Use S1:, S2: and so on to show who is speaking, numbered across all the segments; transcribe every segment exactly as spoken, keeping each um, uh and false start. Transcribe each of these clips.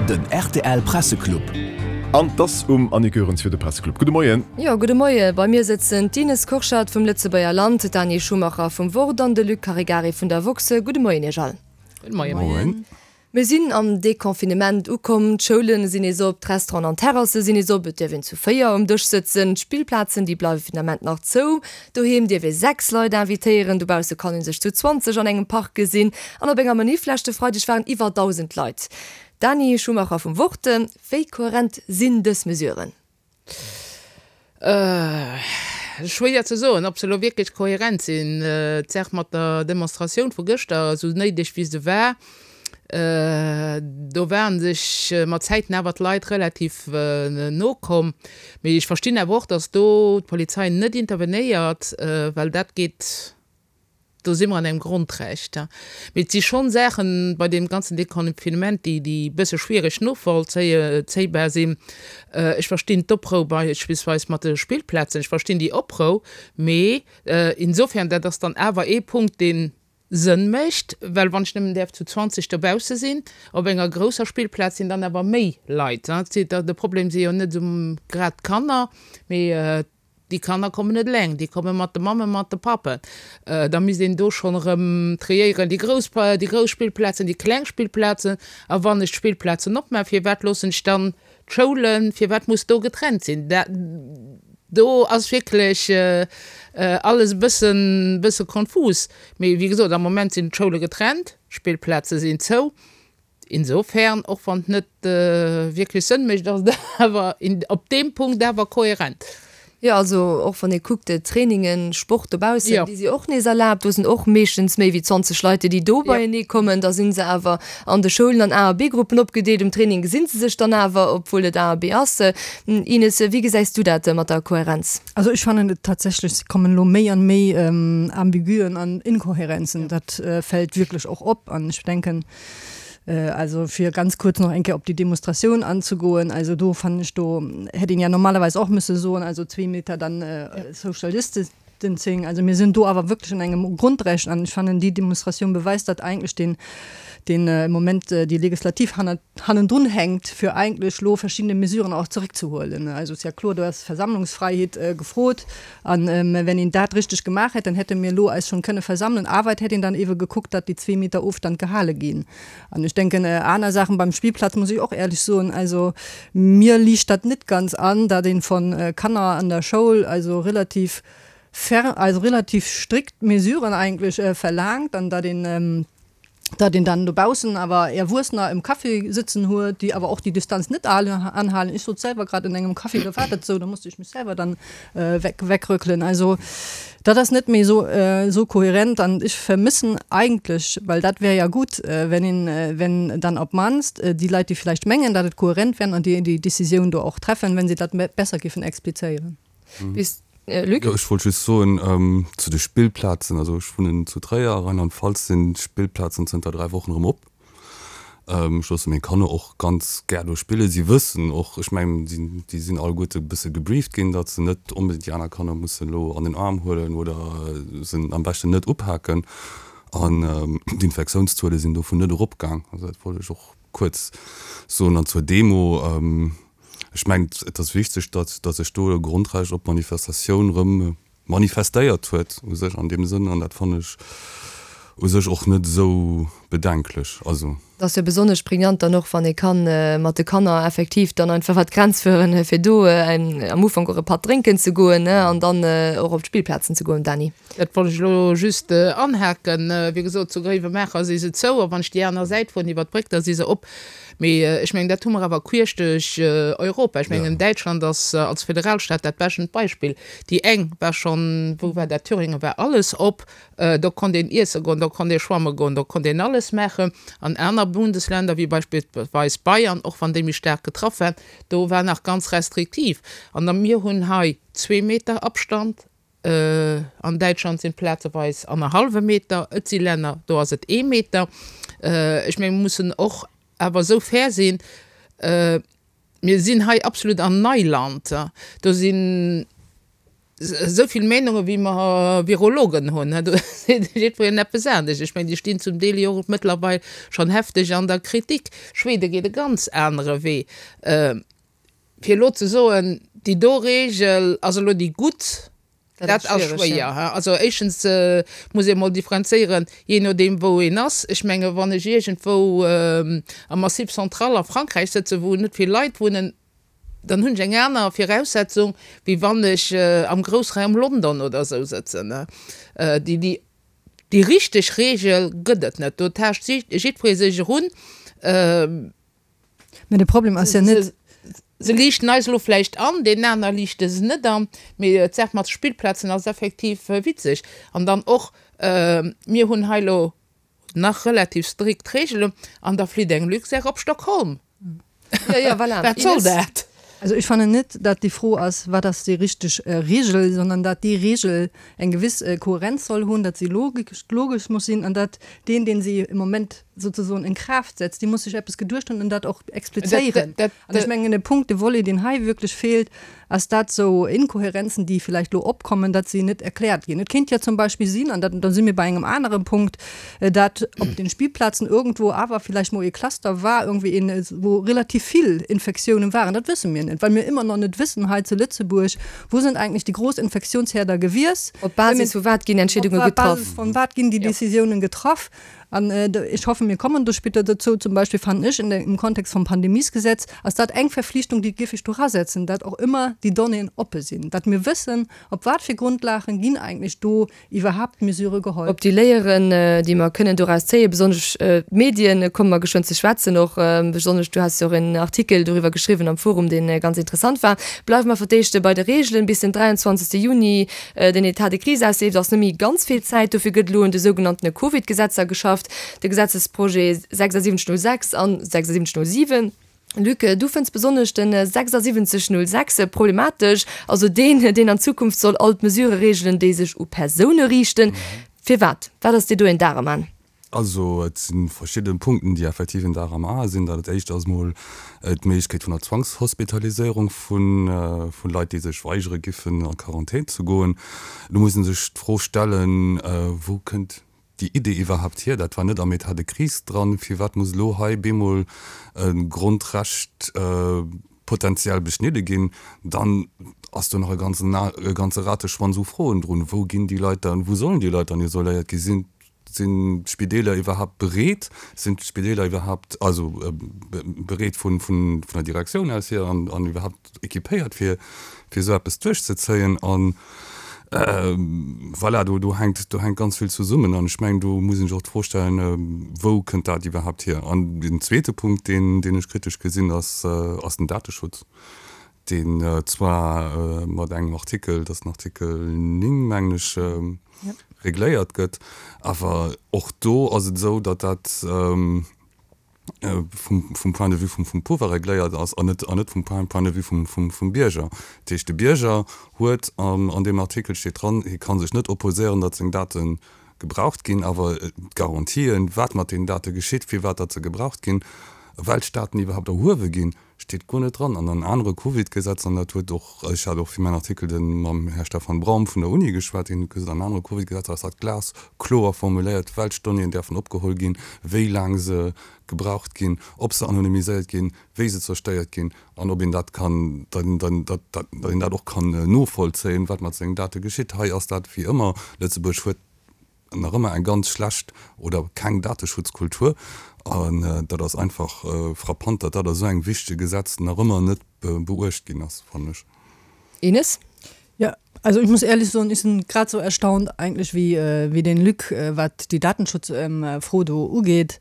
S1: Den rtl Presseclub.
S2: An 't ass um Annick Goerens fir de Presseclub. Gudde Moien.
S3: Jo, gudde Moie. Bei mir sëtzen d'Ines Kurschat vum Lëtzebuerger Land, d'Dani Schumacher vum Wort an de Luc Caregari vun der woxx. Gudde Moien Iech all.
S4: Gudde Moien.
S2: Moien.
S3: Mir sinn am Deconfinement ukomm, d'Schoule sinn nees op, d'Restauranten an d'Terrasse sinn nees op, et dierf een zu véier um Dësch sëtzen, d'Spillplazen, déi bleiwe fir den Ament nach zou, doheem dierf ee sechs Leit invitéieren, dobausse kann ee sech zu zwanzeg an engem Park gesinn an op enger Manif leschte Freideg waren iwwer dausend Leit. Dani Schumacher vum Wort, wéi kohärent sinn dës Mesuren?
S4: Schwéier ze soen, ob se elo wierklech kohärent sinn. D'Saach mat der Demonstratioun vu gëschter, esou néideg wéi se war, do ware sech mat Zäiten awer d'Leit relativ no komm. Mee ech verstinn awer och, datt do d'Polizei net intervenéiert, well dat geet, do si mer an engem Grondrecht. Mee et si schonn Saachen bei deem ganzen Deconfinement, déi déi e bësse schwiereg novollzéibar sinn. Ech verstinn d'Oprou beispillsweis mat de Spillplazen, ech verstinn déi Oprou, mee insofern, dat ass dann awer ee Punkt, dee Sënn mécht, well wann ech nëmmen däerf zu zwanzeg dobausse sinn, op enger grousser Spillplaz sinn dann awer méi Leit. De Problem si jo net esou grad d'Kanner, mee déi Kanner kommen net eleng, déi komme mat de Mammen, mat de Pappen. Da misst een do schonn erëm triéieren, déi grouss, déi grouss Spillplazen, déi kleng Spillplazen. A wann ech d'Spillplazen opmaach, firwat loossen ech dann d'Schoulen, firwat muss do getrennt sinn? Do ass wierklech alles e bëssen, bësse konfus. Mee wéi gesot, am Moment sinn d'Schoule getrennt, d'Spillplaze sinn zou. Insofern, och wann et net wierklech Sënn mécht, ass et awer op deem Punkt awer kohärent.
S3: Jo, also och wann ee kuckt, Trainingen, Sport dobaussen, déi si och nees erlaabt. Do sinn och meeschtens méi wéi zwanzeg Leit, déi do beienee kommen. Da si se awer an de Schoulen an A a B-Gruppen opgedeelt. Um Training gesi se sech dann awer, obwuel et A a B ass. Ines, wéi gesäis du dat mat der Kohärenz?
S5: Also ech fannen et tatsächlech, et kommen elo méi an méi Ambigüen an Inkohärenzen. Dat fält wierklech och op. An ech denken, also fir ganz kuerz nach eng Kéier op déi Demonstratioun anzegoen, also do fannen ech, do hätt een ja normalerweis och müsse soen, also zwee Meter dann Social Distancing. Also mir sinn do awer wierklech an engem Grundrecht an ech fannen, déi Demonstratioun beweist dat eigentlech, deen, deen im Moment déi Legislativ hannert, hannendrun hänkt, fir eigentlech elo verschiddene Mesuren och zeréckzehuelen. Also et ass ja kloer, do ass Versammlungsfreiheet gefrot an wenn een dat richteg gemaach hätt, dann hätte mir elo eis schonn kënne versammelen, awer et hätt een dann ewe gekuckt, datt déi zwee Meter Ofstand gehale ginn. An ech denken, aner Saachen beim Spillplatz, muss ech och ehrlech soen, also mir liicht dat net ganz an, datt een von Kanner an der Schoul also relativ ferm, also relativ strikt Mesuren eigentlech verlaangt an datt een, datt een dann dobaussen awer Erwuessener im Café sëtzen huet, déi awer och déi Distanz net anhalen. Ech sot selwer grad an engem Café, do war dat esou, da musste ech mech selwer dann weg, wegrückelen. Also dat ass net méi esou, esou kohärent an ech vermissen eigentlech, well dat wär ja gutt, wenn een, wenn dann op d'mannst déi Leit, déi vläicht mengen, datt et kohärent wär an déi déi Décisioun do och treffen, wenn se dat besser géifen explizéieren.
S3: Bis Luc?
S6: Jo, ech wollt just soen zu de Spillplazen, also ech wunnen zu Tréier, a Rheinland-Pfalz sinn d'Spillplazen zënter dräi Wochen erëm op. Ech loosse meng Kanner och ganz gär do spillen. Si wëssen och, ech mengen, déi sinn alleguerte e bësse gebrieft ginn, datt se net onbedéngt déi aner Kanner mussen elo an den Aarm huelen oder se am beschten net upaken. An d'Infektiounszuele sinn dovun net eropgaang. Also dat wollt ech och kuerz soen. An zur Demo, ech mengen, et ass wichteg, datt datt sech do e Grondrecht op Manifestatioun erëm manifestéiert huet u sech an deem Sënn. An dat fannen ech u sech och net esou bedenklech. Also.
S3: Dat ass jo besonnesch pregnant dann och, wann ee ka mat de Kanner effektiv dann einfach iwwer d'Grenz fueren, fir do am Ufank och e Patt drénken ze goen an dann och op d'Spillplazen ze goen. Dany.
S4: Dat wollt ech elo just anhaken. Wéi gesot, zu Gréiwemaacher si se zou, a wann ech déi aner Säit fueren iwwer d'Bréck, da si se op. Mee ech mengen, dat hu mer awer queesch duerch Europa. Ech mengen, Däitschland ass als Föderalstaat dat bestent Beispill. Déi eng war schonn, wou war dat, Thüringen war alles op, do konnt een iesse goen, do konnt ee schwamme goen, do konnt een alles maachen. An aner Bundesländer, wéi beispillsweis Bayern, och wann déi méi staark getraff waren, do war nach ganz restriktiv. An da mir hunn hei zwee Meter Abstand, an Däitschland sinn et plazeweis annerhallwe Meter, et si Länner, do ass et ee Meter. Ech menge mir mussen och awer esou fair sinn, mir sinn hei absolut an Neiland. Do sinn esou vill Meenunge wéi mer Virologen hunn, do seet jiddwereen eppes anescht. Ech mengen, déi stinn zum Deel jo och mëttlerweil schonn hefteg an der Kritik. Schwede geet e ganz anere Wee. Fir elo ze soen, déi do Regel ass elo déi gutt, dat ass schwéier. Also éischtens muss ee mol differenzéieren, jee nodeem wou een ass. Ech menge wann ech iergendwou am Massif central a Frankräich sëtzen, wou net vill Leit wunnen, dann hunn ech eng aner Viraussetzung, wéi wann ech am Groussraum London oder esou sëtzen. Déi, déi richteg Regel gëtt et net. Do taascht jiddweree sech erun.
S5: Mä de Problem ass jo net.
S4: Se liichten eis elo vläicht an, deenen aner liichte se net an. Mee d'Saach mat de Spillplazen ass effektiv witzeg. An dann och, mir hunn hei elo nach relativ strikt Reegelen an da flitt eng Luxair op Stockholm.
S3: Ja, ja, voilà.
S4: Wat soll dat?
S5: Also ech fannen net, dat déi Fro ass, wat ass déi richteg Regel, sondern dat déi Regel eng gewiss Kohärenz soll hunn, dat si logesch muss sinn an dat deen, deen si im Moment sozusagen in Kraft setzt, dee muss sech eppes geduecht hunn an dat och explizéieren. An ech mengen, de Punkt, de Volet, deen hei wierklech feelt, ass dat sou Inkohärenzen, déi vielleicht elo opkommen, dat si net erkläert ginn. Et kéint jo zum Beispill sinn, an dat, da si mir bei engem anere Punkt, dat op den Spielplazen irgendwo awer vielleicht mol ee Cluster war, irgendwie een, wou relativ vill Infektiounen waren. Dat wësse mir net, well mir ëmmer nach net wëssen hei zu Lëtzebuerg, Wo sind eigentlich déi grouss Infektionsherder gewiess?
S3: Op Basis vu wat ginn Entscheedunge getraff?
S5: Op Basis von wat ginn déi Decisiounen getraff? An ech hoffen, mir kommen do später dozou, zum Beispill fannen ech in im Kontext vum Pandemiesgesetz ass dat eng Verflichtung, déi géif ech do erasetzen, dat och ëmmer déi Donnéeën oppe sinn, dat mir wëssen, op wat fir Grundlagen ginn eigentlech do iwwerhaapt Mesurë geholl.
S3: Op déi Léieren, déi mer kënnen doraus zéien, besonnesch d'Medien, komme mer geschwënn ze schwätzen och, besonnesch du has jo och en Artikel doriwwer geschriwwen am Forum, dee ganz interessant war. Bleiwe mer fir d'éischt bei de Reegelen bis den dräianzwanzegste Juni den État de crise ausleeft, ass net méi ganz vill Zäit. Dofir gëtt elo un de sougenanntene Covid-Gesetzer geschafft. De Gesetzesprojet sechsundsiebzig null sechs an sechsundsiebzig null sieben. Luc, du fënns besonnesch den sechsundsiebzig null sechs problematesch, also deen, deen an Zukunft soll all d'Mesurë reegelen, déi sech u Persoune riichten. Firwat? Wat ass dir do een Dar am An?
S6: Also et si verschidde Punkten, déi effektiv een Dar am A sinn. Dat éischt ass emol d'Méiglechkeet vun der Zwangshospitaliséierung vu Leit, déi sech weigere giffen, a Quarantän ze goen. Do muss ee sech d'Fro stellen, Wou kënnt déi Idee iwwerhaapt hier? Dat war net am État de crise dran. Firwat muss elo hei bemol e Grondrecht potenziell beschnidde ginn? Dann ass do nach e ganzen, e ganze Rateschwanz u Froen drun. Wou ginn déi Leit dann, wou sollen déi Leit dann isoléiert gi? Sinn, sinn d'Spideeler iwwerhaapt bereet? Sinn d'Spideeler iwwerhaapt, also bereet vun, vun, vun der Direktioun aus hier an, an iwwerhaapt équipéiert fir, fir esou eppes duerchzezéien? An voilà, do, do hänkt, do hänkt ganz vill zesummen. An ech mengen, do muss een sech och d'Fro stellen, Wou kënnt dat iwwerhaapt hier? An den zweete Punkt, deen, deen ech kritesch gesinn, ass, ass den Dateschutz, deen zwar mat engem Artikel, dat ass den Artikel néng, mengen ech, regléiert gëtt, awer och do ass et esou, datt dat vum, vum Point de vue vum, vum Pouvoir regléiert ass an net, an net vum Point, Point de vue vum, vum, vum Bierger. Dat heescht, de Bierger huet, an, an deem Artikel steet dran, hie ka sech net opposéieren, datt seng Date gebraucht ginn, awer d'Garantien, wat mat deenen Date geschitt, firwat datt se gebraucht ginn, welch Daten iwwerhaapt erhuewe ginn, steet guer net dran. An an anere Covid-Gesetzer, an dat huet och, ech hat och fir mäin Artikel de mam Här Stefan Braum vun der Uni geschwat, deen huet gesot, an anere Covid-Gesetzer ass dat glaskloer formuléiert, welch Donnéeën däerfen opgeholl ginn, wéi laang se gebraucht ginn, ob se anonymiséiert ginn, wéi se zerstéiert ginn an ob een dat kann, datt een dat och kann novollzéien, wat mat sengen Date geschitt. Hei ass dat wéi ëmmer, Lëtzebuerg huet nach ëmmer eng ganz schlecht oder keng Dateschutzkultur an dat ass einfach frappant, datt dat a sou engem wichtege Gesetz nach ëmmer net beuecht ginn ass, fannen ech.
S3: Ines?
S5: Ja, also ich muss ehrlich soen, ich sinn grad sou erstaunt eigentlich wéi wéi den Luc, wat déi Datenschutzfro do ugeet.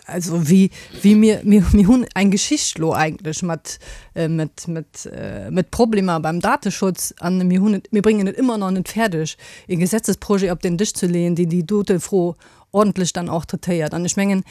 S5: Also wéi wéi mir mir mir hunn eng Geschicht lo eigentlech mat mat mat mat Problemer beim Dateschutz an mir hunn et mir bréngen et ëmmer nach net fäerdeg e Gesetzesprojet op den Dësch ze leeën, deen déi dote Fro ordentlech dann och traitéiert. An ech mengen,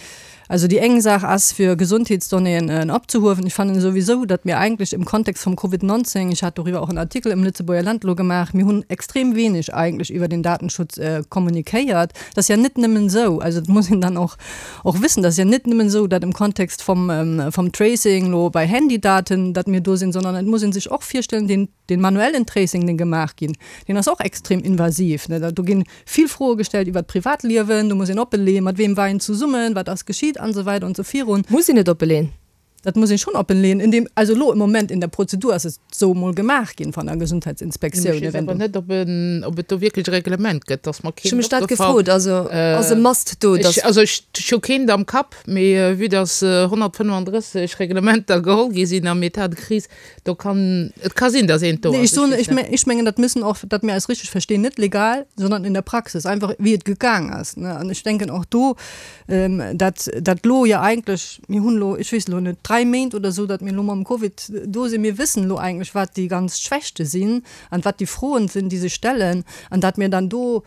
S5: also déi eng Saach ass fir Gesondheetsdonnéeën opzehuewen. Ech fannen souwisou, datt mir eigentlech im Kontext vum Covid neunzehn, ech hat doriwwer och en Artikel im Lëtzebuerger Land elo gemaach, mir hunn extrem wenig eigentlech iwwer den Datenschutz kommunikéiert. Dat ass ja net nëmmen esou, also dat muss een dann och och wëssen, dat ass ja net nëmmen esou, datt im Kontext vom vom Tracing elo bei Handydaten, datt mir do sinn, sondern et muss ee sech och virstellen, den Den manuellen Tracing, deen gemaach ginn, deen ass och extrem invasiv, ne. Do ginn vill Froe gestallt iwwer d'Privatliewen, do muss een oppeleeën, mat wem war een zesummen, wat ass geschitt an esou weider an esou virun.
S3: Muss een et oppeleeën?
S5: Dat muss een schonn oppenleeën, in dem, also elo im Moment in der Prozedur ass et esou emol gemaach ginn van der Gesundheitsinspektioun.
S4: Ech weess awer net, ob en, ob et do wierklech e Reglement gëtt, dass mer
S3: Ech hu
S4: keent
S3: mech dat
S4: opgefall.
S3: gefrot, also ass e Must do,
S4: Ech,
S3: dass.
S4: also ech hu keent am Kapp, mee vue dass honnertfënnefandrësseg Reglementer geholl gi sinn am État de crise, do kann, et ka sinn, dass eent do
S5: Nee, ech
S4: ass, ech
S5: soen,
S4: weess
S5: ech
S4: net.
S5: me, ech mengen, dat müssen och, dat mir eis richteg verstinn, net legal, sondern in der Praxis, einfach wéi et gegaang ass, ne. An ech denken och do, dat, dat lo jo eigentlech, mir hunn lo, ech weess lo net, dräi Méint oder esou, datt mir lo mam Covid do sinn, mir wëssen lo eigentlech, wat déi ganz Schwächte sinn an wat déi Froen sinn, déi sech stellen, an dat mir dann do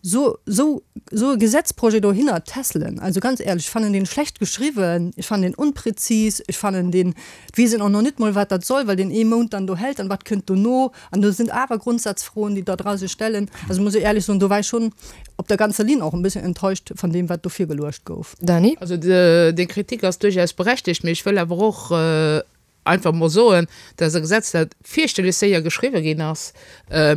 S5: so, so, so e Gesetzprojet dohinner tässelen. Also ganz ehrlech, ech fannen deen schlecht geschriwwen, ech fannen deen unpräzis, ech fannen deen, et weess een och nach net mol, wat dat soll, well deen ee Mount dann do hält an wat kënnt dono, an do sinn awer Grundsatzfroen, déi da dra sech stellen. Also muss ech ehrlech soen, do war ech schonn op der ganzer Linn och en bisschen enttäuscht von dem, wat do virgeluecht gouf.
S3: Dany?
S4: Also deng Kritik ass duerchaus berechtegt, mee ech wëll awer och einfach mol soen, dass e Gesetz, dat fierchterlech séier geschriwwe ginn ass,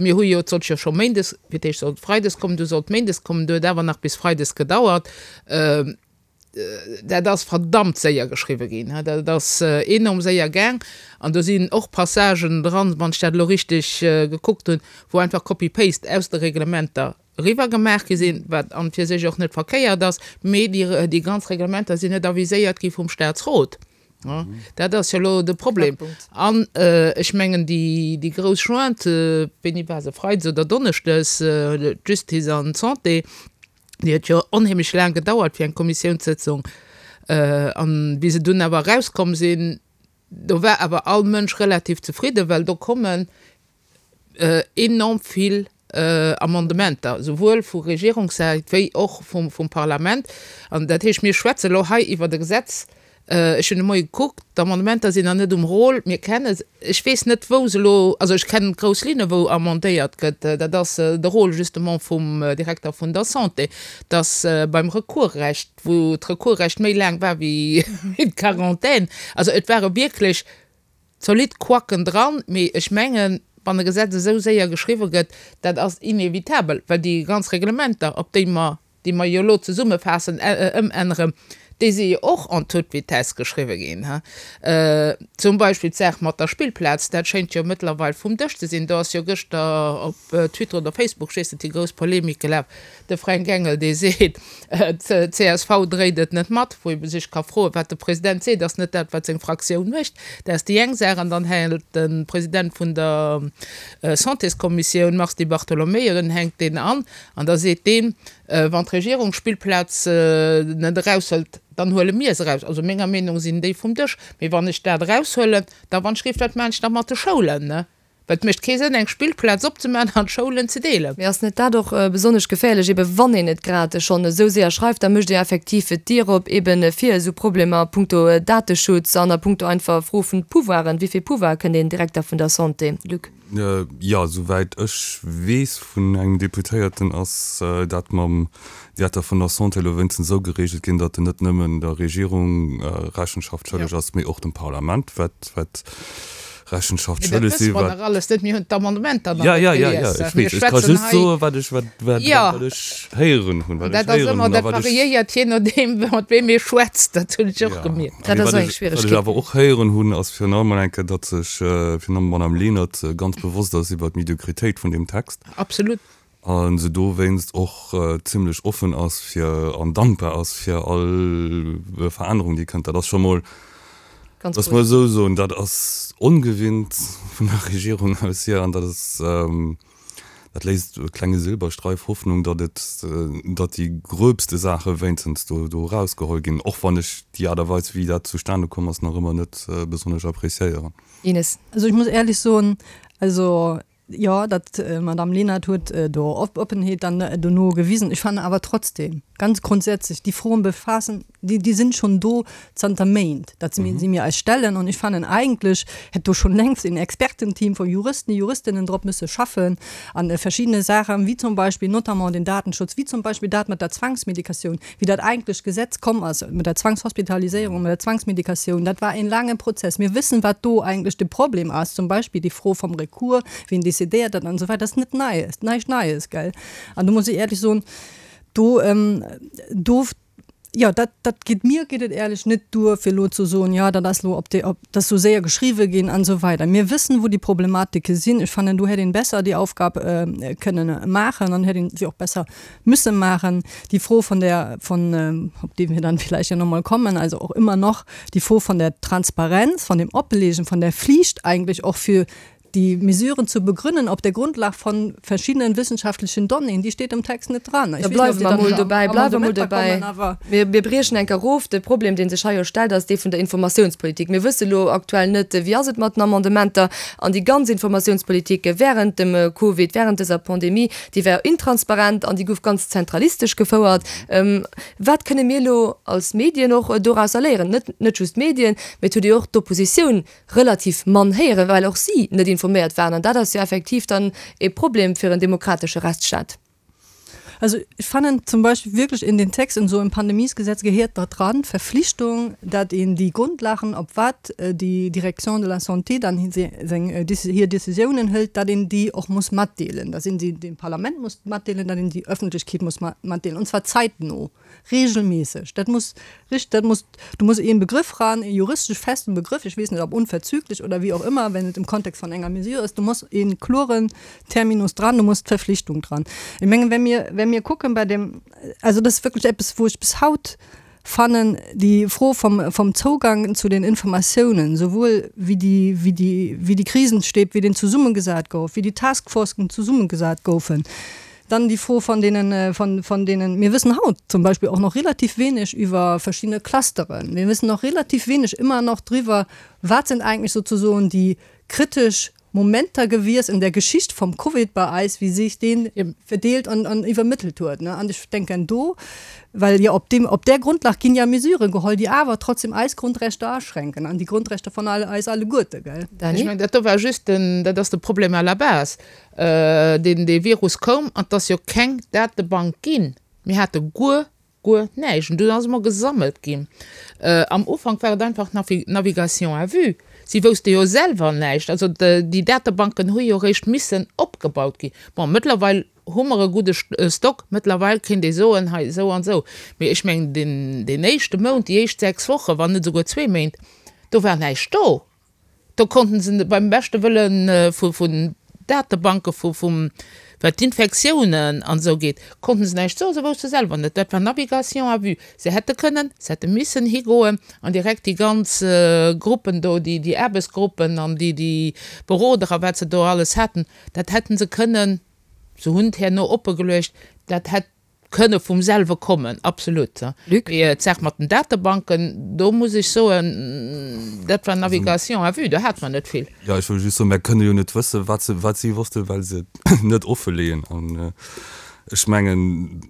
S4: mir hu jo, et sollt jo scho méindes, fir d'éischt sollt freides kommen, du sollt méindes kommen, du huet awer nach bis freides gedauert, dat ass verdammt séier geschriwwe ginn, dat ass enorm séier gaang an do sinn och Passagen dran, wann ech dat elo richteg gekuckt hunn, wou einfach Copy-paste aus de Reglementer eriwwer gemaach gi sinn, wat an fir sech och net verkéiert ass, mee déi, déi ganz Reglementer sinn net aviséiert gi vum Statsrot. Dat ass jo elo de Problem. An ech mengen, déi, déi grouss Jointe, wéini war se, freides oder donneschdes, d'Justice an d'Santé, déi huet jo onheemlech laang gedauert fir eng Kommissiounssëtzung. An wéi se dunn awer erauskomm sinn, do war awer all Mënsch relativ zefridden, well do kommen enorm vill Amendementer, souwuel vu Regierungssäit wéi och vum, vum Parlament. An dat heescht, mir schwätze elo hei iwwert e Gesetz, ech hunn de Moie gekuckt, d'Amendementer sinn nach net um Rôle, mir kenne se, ech weess net, wou se elo, also ech kennen d'grouss Linne wou amendéiert gëtt, dat ass de Rôle justement vum Direkter vun der Santé, dass beim Recoursrecht, wou d'Recoursrecht méi laang war wéi d'Quarantaine, also et ware wierklech zolidd Couacken dran, mee ech mengen, wann e Gesetz esou séier geschriwwe gëtt, dat ass inevitabel, well déi ganz Reglementer, op déi mer, déi mer jo elo zesummefaassen, ëmänneren, déi si jo och en toute vitesse geschriwwe ginn. Zum Beispill d'Saach mat der Spillplaz, dat schéint jo mëttlerweil vum Dësch ze sinn. Do ass jo gëschter op Twitter oder Facebook, ech weess net, déi grouss Polemik gelaf, de Fränk Engel, dee seet, d'C S V dréit et net mat, wou ee sech ka froen, wat de President seet, ass net dat, wat seng Fraktioun mécht. Dat ass déi eng Saach. An dann hält de President vun der Santéskommissioun, Mars Di Bartolomeo, en hänkt deen an an da seet deen, Wann d'Regierung d'Spillplaz net eraushëlt, dann huele mir se eraus. Also menger Meenung sinn déi vum Dësch. Mee wann ech dat eraushuelen, da wann ech géif, dat maachen ech da mat de Schoulen, ne? Well et mécht kee Sënn, eng Spillplaz opzemaachen an d'Schoulen ze deelen.
S3: Mee ass net dat och besonnesch geféierlech, ebe wann een et grad schonn esou séier schreift, da mécht ee effektiv d'Dier op ebe fir esou Problemer a punkto Dateschutz an a punkto einfach Fro vun Pouvoiren. Wéi vill Pouvoir kënnt een Direkter vun der Santé, Luc?
S6: Jo, souwäit ech weess vun engem Deputéierten, ass dat mam Direkter vun der Santé elo wéinstens esou geregelt ginn, datt en net nëmmen der Regierung Rechenschaft schëlleg ass, mee och dem Parlament, wat wat Rechenschaft
S4: Mee dat
S6: schëlleg
S4: wësse
S6: si
S4: mer
S6: wat
S4: nach alles net. Mir hunn d'Amendementer nach
S6: Ja,
S4: net
S6: ja, ja, ja,
S4: gelies.
S6: ech
S4: Mir
S6: weess. Ech ka
S4: schwätzen
S6: just
S4: hei.
S6: soen, wat ech, wat, wat,
S4: Ja.
S6: wat ech héieren hunn,
S4: An
S6: wat ech
S4: dat ass
S6: héieren
S4: ëmmer,
S6: hunn a
S4: dat
S6: wat ech
S4: variéiert jee nodeem, mat weem ee schwätzt. Dat hunn ech och
S6: Ja.
S4: gemierkt.
S3: Dat
S6: Mee
S3: ass
S6: wat
S3: och eng
S6: ech, wat ech
S3: Schwieregkeet.
S6: awer och héieren hunn, ass virun allem eng Kéier, datt sech virun allem d'Madame Lenert ganz bewosst ass iwwer d'Mediokritéit vun deem Text.
S4: Absolut.
S6: A se dowéinst och zimlech offen ass fir an dankbar ass fir all Verännerung, déi kënnt. Dat ass scho mol,
S3: Ganz
S6: lass mol
S3: positiv.
S6: esou soen, dat ass ongewinnt vun der Regierung aus hier an dat ass, dat léisst e klenge Silberstreif Hoffnung, datt et, datt déi gröbste Saache wéinstens do, do erausgeholl ginn, och wann ech déi Aart a Weis, wéi dat zustane komm ass, nach ëmmer net besonnesch appréciéieren.
S3: Ines.
S5: Also ich muss ehrlich soen, also jo, dat Madame Lenert huet do Oppenheet dann dono gewisen. Ech fannen awer trotzdem ganz grundsätzlich, déi Froen befaassen, déi, déi sinn schonn do zanter Méint, datt si mir, si mir eis stellen. An ech fannen eigentlech hätt do schonn längst een Expertenteam vu Juristen, Juristinnen drop müsse schaffen an verschiddene Saachen, wéi zum Beispill notamment den Datenschutz, wéi zum Beispill dat mat der Zwangsmedikatioun, wéi dat eigentlech Gesetz komm ass mat der Zwangshospitaliséierung, mat der Zwangsmedikatioun, dat war een laange Prozess. Mir wëssen, wat do eigentlech de Problem ass, zum Beispill déi Fro vum Recours, wien decidéiert dat an esou weider, dat ass net Neies, näischt Neies, gell. An do muss ech éierlech soen, do, do, jo, dat, dat geet, mir geet et éierlech net duer, fir elo ze soen, jo, dat ass elo op déi, op, dat ass esou séier geschriwwe ginn an esou weider. Mir wëssen, wou déi Problematike sinn. Ech fannen, do hätt een besser déi Aufgab kënnen maachen an hätt een se och besser müsse maachen. Déi Fro von der, von, op déi mir dann vielleicht ja noch mal kommen, also och immer noch déi Fro von der Transparenz, von dem Oppelegen, von der Pflicht eigentlich och fir déi Mesuren zu begründen op der Grundlag von verschiedenen wissenschaftlichen Donnéeën, déi steet am Text net dran.
S3: Da bleiwe mer mol dobäi, bleiwe mer mol dobäi. Mir, mir briechen eng Kéier of. De Problem, dee sech hei jo stellt, ass dee vun der Informatiounspolitik. Mir wësse lo aktuell net, wéi ass et mat den Amendementer an déi ganz Informatiounspolitik während dem Covid, während dëser Pandemie, déi war intransparent an déi gouf ganz zentralistesch gefouert. Wat kënne mir elo als Medien och dorausser léieren? Net, net just d'Medien, mee et huet jo och d'Oppositioun relativ mann héieren, well och si net informéiert waren. An dat ass jo effektiv dann e Problem fir en demokratesche Rechtsstaat.
S5: Also ech fannen zum Beispill wierklech in den Text, in esou en Pandemiesgesetz gehéiert dat dran, d'Verflichtung, dat een déi Grundlagen, op wat déi Direction de la Santé dann seng hir Décisiounen hëlt, dat een déi och muss matdeelen, dat een se dem Parlament muss matdeelen, dat een déi Öffentlechkeet muss matdeelen, und zwar zeitno. Regelmäßig. Dat muss richt, dat muss, do muss een Begrëff ran, een juristesch festen Begrëff, ech weess net ob unverzüglich oder wéi och ëmmer, wenn et im Kontext von enger Mesure ass, do muss een kloren Terminus dran, do muss d'Verflichtung dran. Ech mengen, wenn mir, wenn mir kucken bei dem, also dat ass wierklech eppes, wou ech bis haut fannen, déi Fro vom, vom Zougang zu den Informatiounen, souwuel wéi déi, wéi déi, wéi déi Krisenstäb, wéi deen zesummegesat gouf, wéi déi Taskforcen zesummegesat goufen, Dann déi Fro von deenen, von, von deenen, mir wëssen haut zum Beispill och noch relativ wenig iwwer verschiddene Clusteren. Mir wëssen noch relativ wenig ëmmer nach driwwer, wat sind eigentlich sozusagen déi kritesch Momenter gewiescht in der Geschicht vom Covid bei eis, wéi sech deen verdeelt an, an iwwermëttelt huet. An ech denken do, well jo op deem, op där Grundlag ginn ja Mesuren geholl, déi awer trotzdem eis Grundrechter aschränken an déi Grundrechter von alle, eis alleguerte, gell?
S4: Ech mengen, dat do war just den, dat ass de Problem à la base. Deen dee Virus koum an 't ass jo keng Datebank ginn. Mir hate guer, guer näischt. An dunn ass emol gesammelt ginn. Am Ufank war et einfach Navigation à vue. Si wousste jo selwer näischt. Also déi Datebanken hu jo eréischt missen opgebaut ginn. Bon, mëttlerweil hu mer e gudde Stock. Mëttlerweil kéint ee soen, hei esou an esou. Mee ech mengen, deen, deen éischte Mount, déi éischt sechs Wochen, wann net esouguer zwee Méint, do war näischt do. Do konnten se beim beschte Wëlle vun Datebanke vu vum wat d'Infektiounen an esou geet, konnten se näischt soen, se wousste selwer net. Dat war Navigation à vue. Se hätte kënnen, se hätte missen higoen an direkt déi ganz Gruppen do, déi déi Aarbechtsgruppen an déi déi Beroder a wat se do alles haten, dat hätten se kënnen, se hunn et herno oppegeluecht, dat hätt kënne vum selwe kommen, absolut.
S3: Luc?
S4: Mee d'Saach mat den Datebanken, do muss ech soen, dat war Navigation à vue, do hate mer net vill.
S6: Jo, ech wëll just soen, mär kënne jo net wëssen, wat se, wat si wossten, well se et net offeleeën. An ech mengen,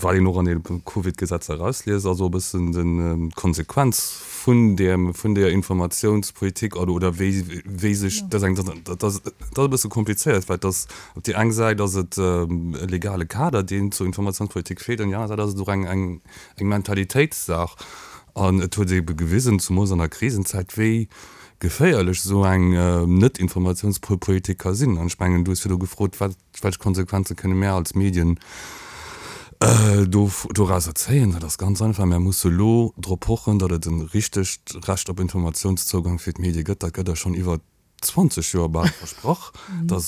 S6: wat een och an deene Covid-Gesetzer erausliest, ass och e bëssen den, d'Konsequenz vun deem, vun deeër Informatiounspolitik oder, oder wéi, wéi sech dat eng, dat ass, dat ass e bësse komplizéiert, well et ass op déi eng Säit ass et e legale Kader, deen zur Informatiounspolitik feelt, an déi aner Säit ass et och eng, eng, eng Mentalitéitssaach. An et huet ebe gewisen, zumools an der Krisenzäit, wéi geféierlech esou eng Net-Informatiounspolitik ka sinn. An ech mengen, du hues virdu gefrot, wat, welch Konsequenze kënne mär als Medien do dorauser zéien. Dat ass ganz einfach, Mär musse lo drop pochen, datt et e richtegt Recht op Informatiounszougang fir d'Medie gëtt. Dat gëtt eis schonn iwwer zwanzeg Joer bal versprach. Dat,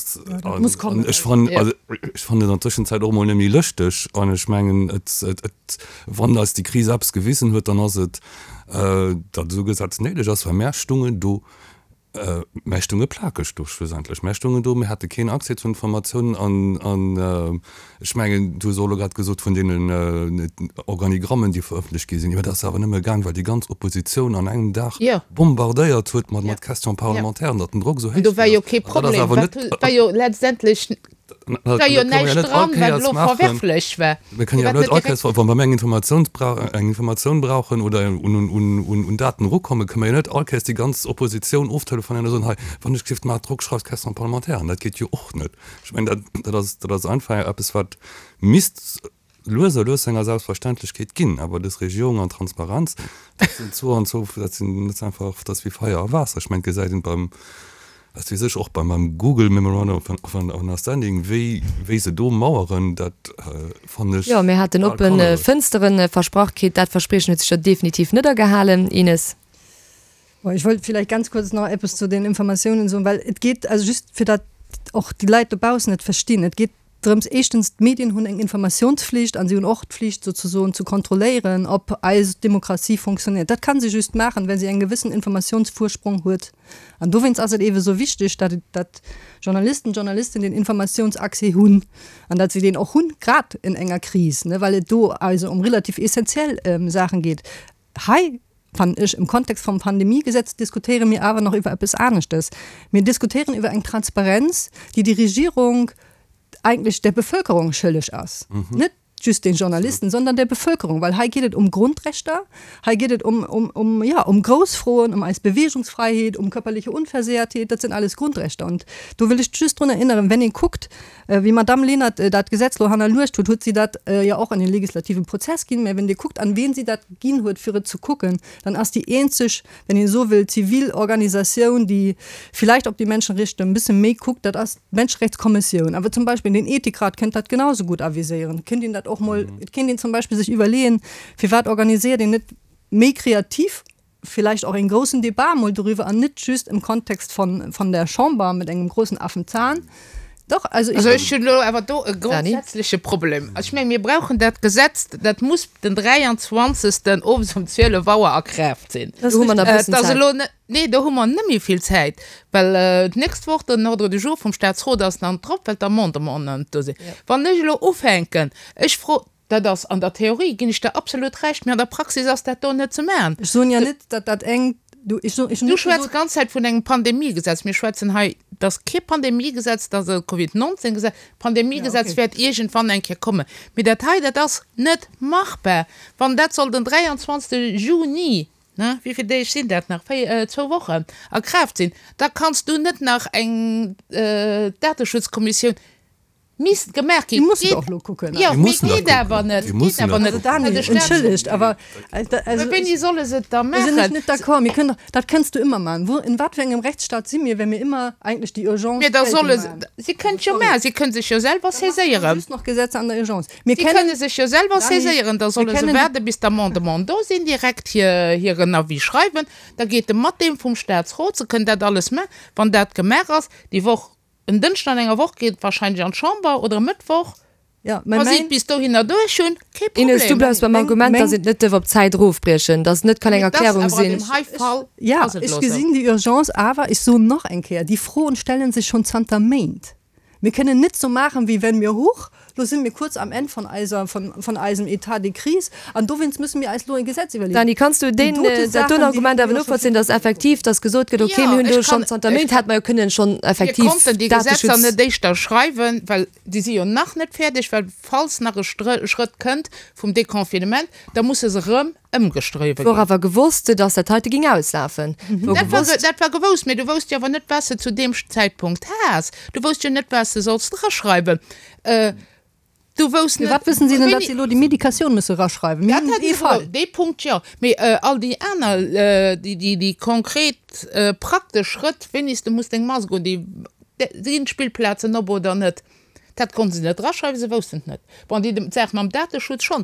S5: muss kommen.
S6: Ech fannen, also ech fannen et an Tëschenzäit och emol net méi lëschteg. An ech mengen, et, et, wann eis déi Kris eppes gewisen huet, dann ass et, datt esou e Gesetz néideg ass, well mär stungen do Mär stunge plakeg do schlussendlech. Mär stungen do, mir hate keen Accès zu Informatiounen an, an ech mengen, du hues och elo grad gesot vun deenen Organigrammen, déi verëffentlecht gi sinn, jo, dat ass awer nëmme gaang, well déi ganz Oppositioun an engem Dag bombardéiert huet mat, mat Questions parlementaires, datt den Drock esou
S4: héich
S6: ginn ass.
S4: Do war jo kee Problem, dat war jo letztendlech Et war jo näischt dran, wat elo verwerflech war.
S6: Mir kënnen jo awer net all Kéiers, wa mir eng Informatioun eng Informatioun brauchen oder un Daten erukommen, kënnen mir jo net all Kéiers déi ganz Oppositioun oftelefonéieren a soen, hei, wann ech géif, maacht Drock, schreift Question parlementaire. Dat geet jo och net. Ech mengen, dat ass, dat ass einfach eppes, wat misst lues a lues zu enger Selbstverständlechkeet ginn. Awer dës Regierung an Transparenz, dat sinn zwou an zwou, dat sinn, dat ass einfach, dat ass wéi Feier a Waasser. Ech mengen, et gesäit een beim, wat weess ech, och beim beim Google Memorandum of Understanding, wéi wéi se do maueren, dat fannen ech
S3: Jo, mir haten
S6: bal
S3: oppe
S6: kannereg.
S3: Fënsteren versprach kritt. Dat Verspriechen huet sech jo definitiv net agehalen, Ines.
S5: Bon, ech wollt vielleicht ganz kurz nach eppes zu den Informatiounen soen, well et geet, also just fir datt och déi Leit dobaussen et verstinn, et geet drëms, éischtens, d'Medien hunn eng Informatiounsflicht an si hunn och d'Flicht souzesoen ze kontrolléieren, ob eis Demokratie fonctionnéiert. Dat kann se just maachen, well se eng gewëssen Informatiounsvorsprong huet. An dowéinst ass et eebe sou wichteg, datt et, datt Journalisten, Journalistinnen den Informatiounsaccès hunn an datt se deen och hunn, grad in enger Kris, ne, well et do also ëm relativ essentiell Saachen geet. Hei, fannen ech, im Kontext vum Pandemiegesetz diskutéiere mir awer nach iwwer eppes aneschtes. Mir diskutéieren iwwer eng Transparenz, déi déi Regierung eigentlech der Bevölkerung schëlleg ass, net just den Journalisten, sondern der Bevölkerung, well hei geet et um Grundrechter, hei geet et um, um, um, ja, um grouss Froen, um eis Bewegungsfreiheet, um körperliche Unversehrtheit, dat sinn alles Grundrechter. Und do wëll ech just drun erinnern, wenn ee kuckt, wéi Madamm Lenert dat Gesetz lo hannerluecht huet, huet si dat jo och an den legislativen Prozess ginn, mä wenn Dir kuckt, an wien si dat ginn huet, fir et ze kucken, dann ass déi eenzeg, wenn een esou wëll, zivil Organisatioun, déi vielleicht op déi Menschenrechte e bësse méi kuckt, dat ass d'Menschenrechtskommissioun. Awer zum Beispill den Ethikrat kënnt dat genauso gutt aviséieren. Et kënnt een dat och mol, et kéint een zum Beispill sech iwwerleeën, firwat organiséiert een net méi kreativ vielleicht och en groussen Debat mol doriwwer an net just im Kontext von, von der Chamber mit engem großen Affenzahn. Doch, also
S4: ich. Also ech hunn elo awer do e grondsätzleche Problem. Also ech menge mir brauchen dat Gesetz, dat muss den dräianzwanzegsten owes um zwielef Auer a Kraaft sinn.
S3: Do hu mer nach e bëssen
S4: Et ass
S3: Zäit.
S4: elo net, nee, do hu mer net méi vill Zäit, well d'nächst Woch den Ordre du jour vum Statsrot ass dann drop, well d'Amendementen nach net do sinn. Wann ech elo ufänken, ech fro, dat ass an der Theorie, ginn ech der absolut Recht, mee an der Praxis ass dat do net ze maachen.
S5: Ech soen jo net, datt dat eng, du, ech soen, ech hunn
S4: Du
S5: net
S4: schwätz
S5: gesot.
S4: d'ganz Zäit vun engem Pandemiegesetz. Mir schwätzen hei, dat ass kee Pandemiegesetz, dat ass e Covid neunzehn Gesetz.
S5: Ja,
S4: D'Pandemiegesetz
S5: okay.
S4: wäert iergendwann eng Kéier kommen. Mee dat hei, dat ass net machbar. Wann dat soll den dräianzwanzegste Juni, ne, wéi vill Deeg sinn dat nach, véi, zwou Wochen, a Kraaft sinn, da kanns du net nach eng Dateschutzkommissioun, Misst gemaach
S5: Déi
S4: ginn.
S5: mussen
S4: Geet
S5: och lo kucken.
S4: jo,
S6: Déi
S4: mee
S6: mussen dat
S4: geet awer
S6: kucken.
S4: net,
S6: Déi
S4: geet
S6: mussen
S4: awer
S6: dat
S4: net.
S5: Also Dani,
S4: Well de Staat
S5: entschëllegt, awer
S4: Mä
S5: also
S4: wéini solle se et da
S5: do sinn ech
S4: maachen?
S5: net d'accord. Mir kënnen doch, dat kënns du ëmmer maachen. Wo, in wat fir engem Rechtsstaat si mir, wenn mir ëmmer eigentlech déi Urgence
S4: Mee da
S5: geltend
S4: solle se,
S5: maachen?
S4: si kënnen et jo
S5: Sorry.
S4: maachen, si kënnen sech jo selwer
S5: Da maache mer
S4: saiséieren.
S5: just nach Gesetzer an der Urgence. Mir
S4: Si
S5: kennen,
S4: kënne sech jo selwer
S5: Dani,
S4: saiséieren, da
S5: mir
S4: solle se
S5: kennen déi.
S4: waarde bis d'Amendementen do sinn, direkt hir, hiren Avis schreiwen, da geet e mat deem vum Statsrot, se kënnen dat alles maachen. Wann dat gemaach ass, déi Woch, En Dënschden an enger Woch geet et wahrscheinlech an d'Chamber oder e Mëttwoch.
S5: Ja, mä
S4: Wa si et
S5: mäin.
S4: bis dohinner duerch hunn, kee
S3: Ines, du
S4: Problem.
S3: bleifs beim
S5: Meng,
S3: Argument, dass
S5: meng.
S3: een et net dierf op d'Zäit erofbriechen, dass et net kann eng
S4: Mee et ass
S3: Erklärung
S4: awer an
S3: sinn.
S4: deem hei Fall
S5: Ja,
S4: ass et
S5: ech
S4: elo esou.
S5: gesinn déi Urgence, awer ech soen nach eng Kéier, déi Froen stellen sech schonn zanter Méint. Mir kënnen net sou maachen, wéi wenn mir, huch, lo si mir kuerz am Enn von eiser, von, von eisem État de crise an dowéinst müsse mir eis lo e Gesetz iwwerleeën.
S3: Dani, kanns du
S5: Déi
S3: deen,
S5: dote
S3: dat doen
S5: Saachen, déi
S3: Argument
S5: hu
S3: awer
S5: mir jo scho
S3: novollzéien,
S5: virdru
S3: dass effektiv, dass gesot gëtt, okay,
S4: Jo,
S3: mir hunn do
S4: ech
S3: schonn
S4: kann,
S3: zanter
S4: ech
S3: Méint, hätt mer jo kënnen schonn
S4: Mir
S3: effektiv
S4: konnten déi Gesetzer
S3: Dateschutz.
S4: net éischter schreiwen, well déi si jo nach net fäerdeg, well falls nach e Schrëtt kënnt vum Deconfinement, da musse se erëm ëmgeschriwwe
S3: Wor
S4: ginn.
S3: awer gewosst, dass dat heite ging auslafen. Wor
S4: Dat war,
S3: gewosst.
S4: dat war gewousst, mee du wousst jo awer net, wat s de zu deem Zäitpunkt has. Du wousst jo net, wat s de solls draschreiwen. Du wousst net,
S5: Firwat wëssen si denn, datt
S4: wéini.
S5: si elo déi Medikatioun musse raschreiwen? Mir
S4: Dat
S5: hunn
S4: hat
S5: ee
S4: ech
S5: Fall.
S4: elo, dee Punkt jo. Mee all déi aner, déi, déi, déi konkret praktesch Schrëtt, wéini s de muss deng Mask un, déi, sinn d'Spillplazen op oder net, dat konnte se net draschreiwen, se woussten et net. Bon, déi Saach mam Dateschutz schonn.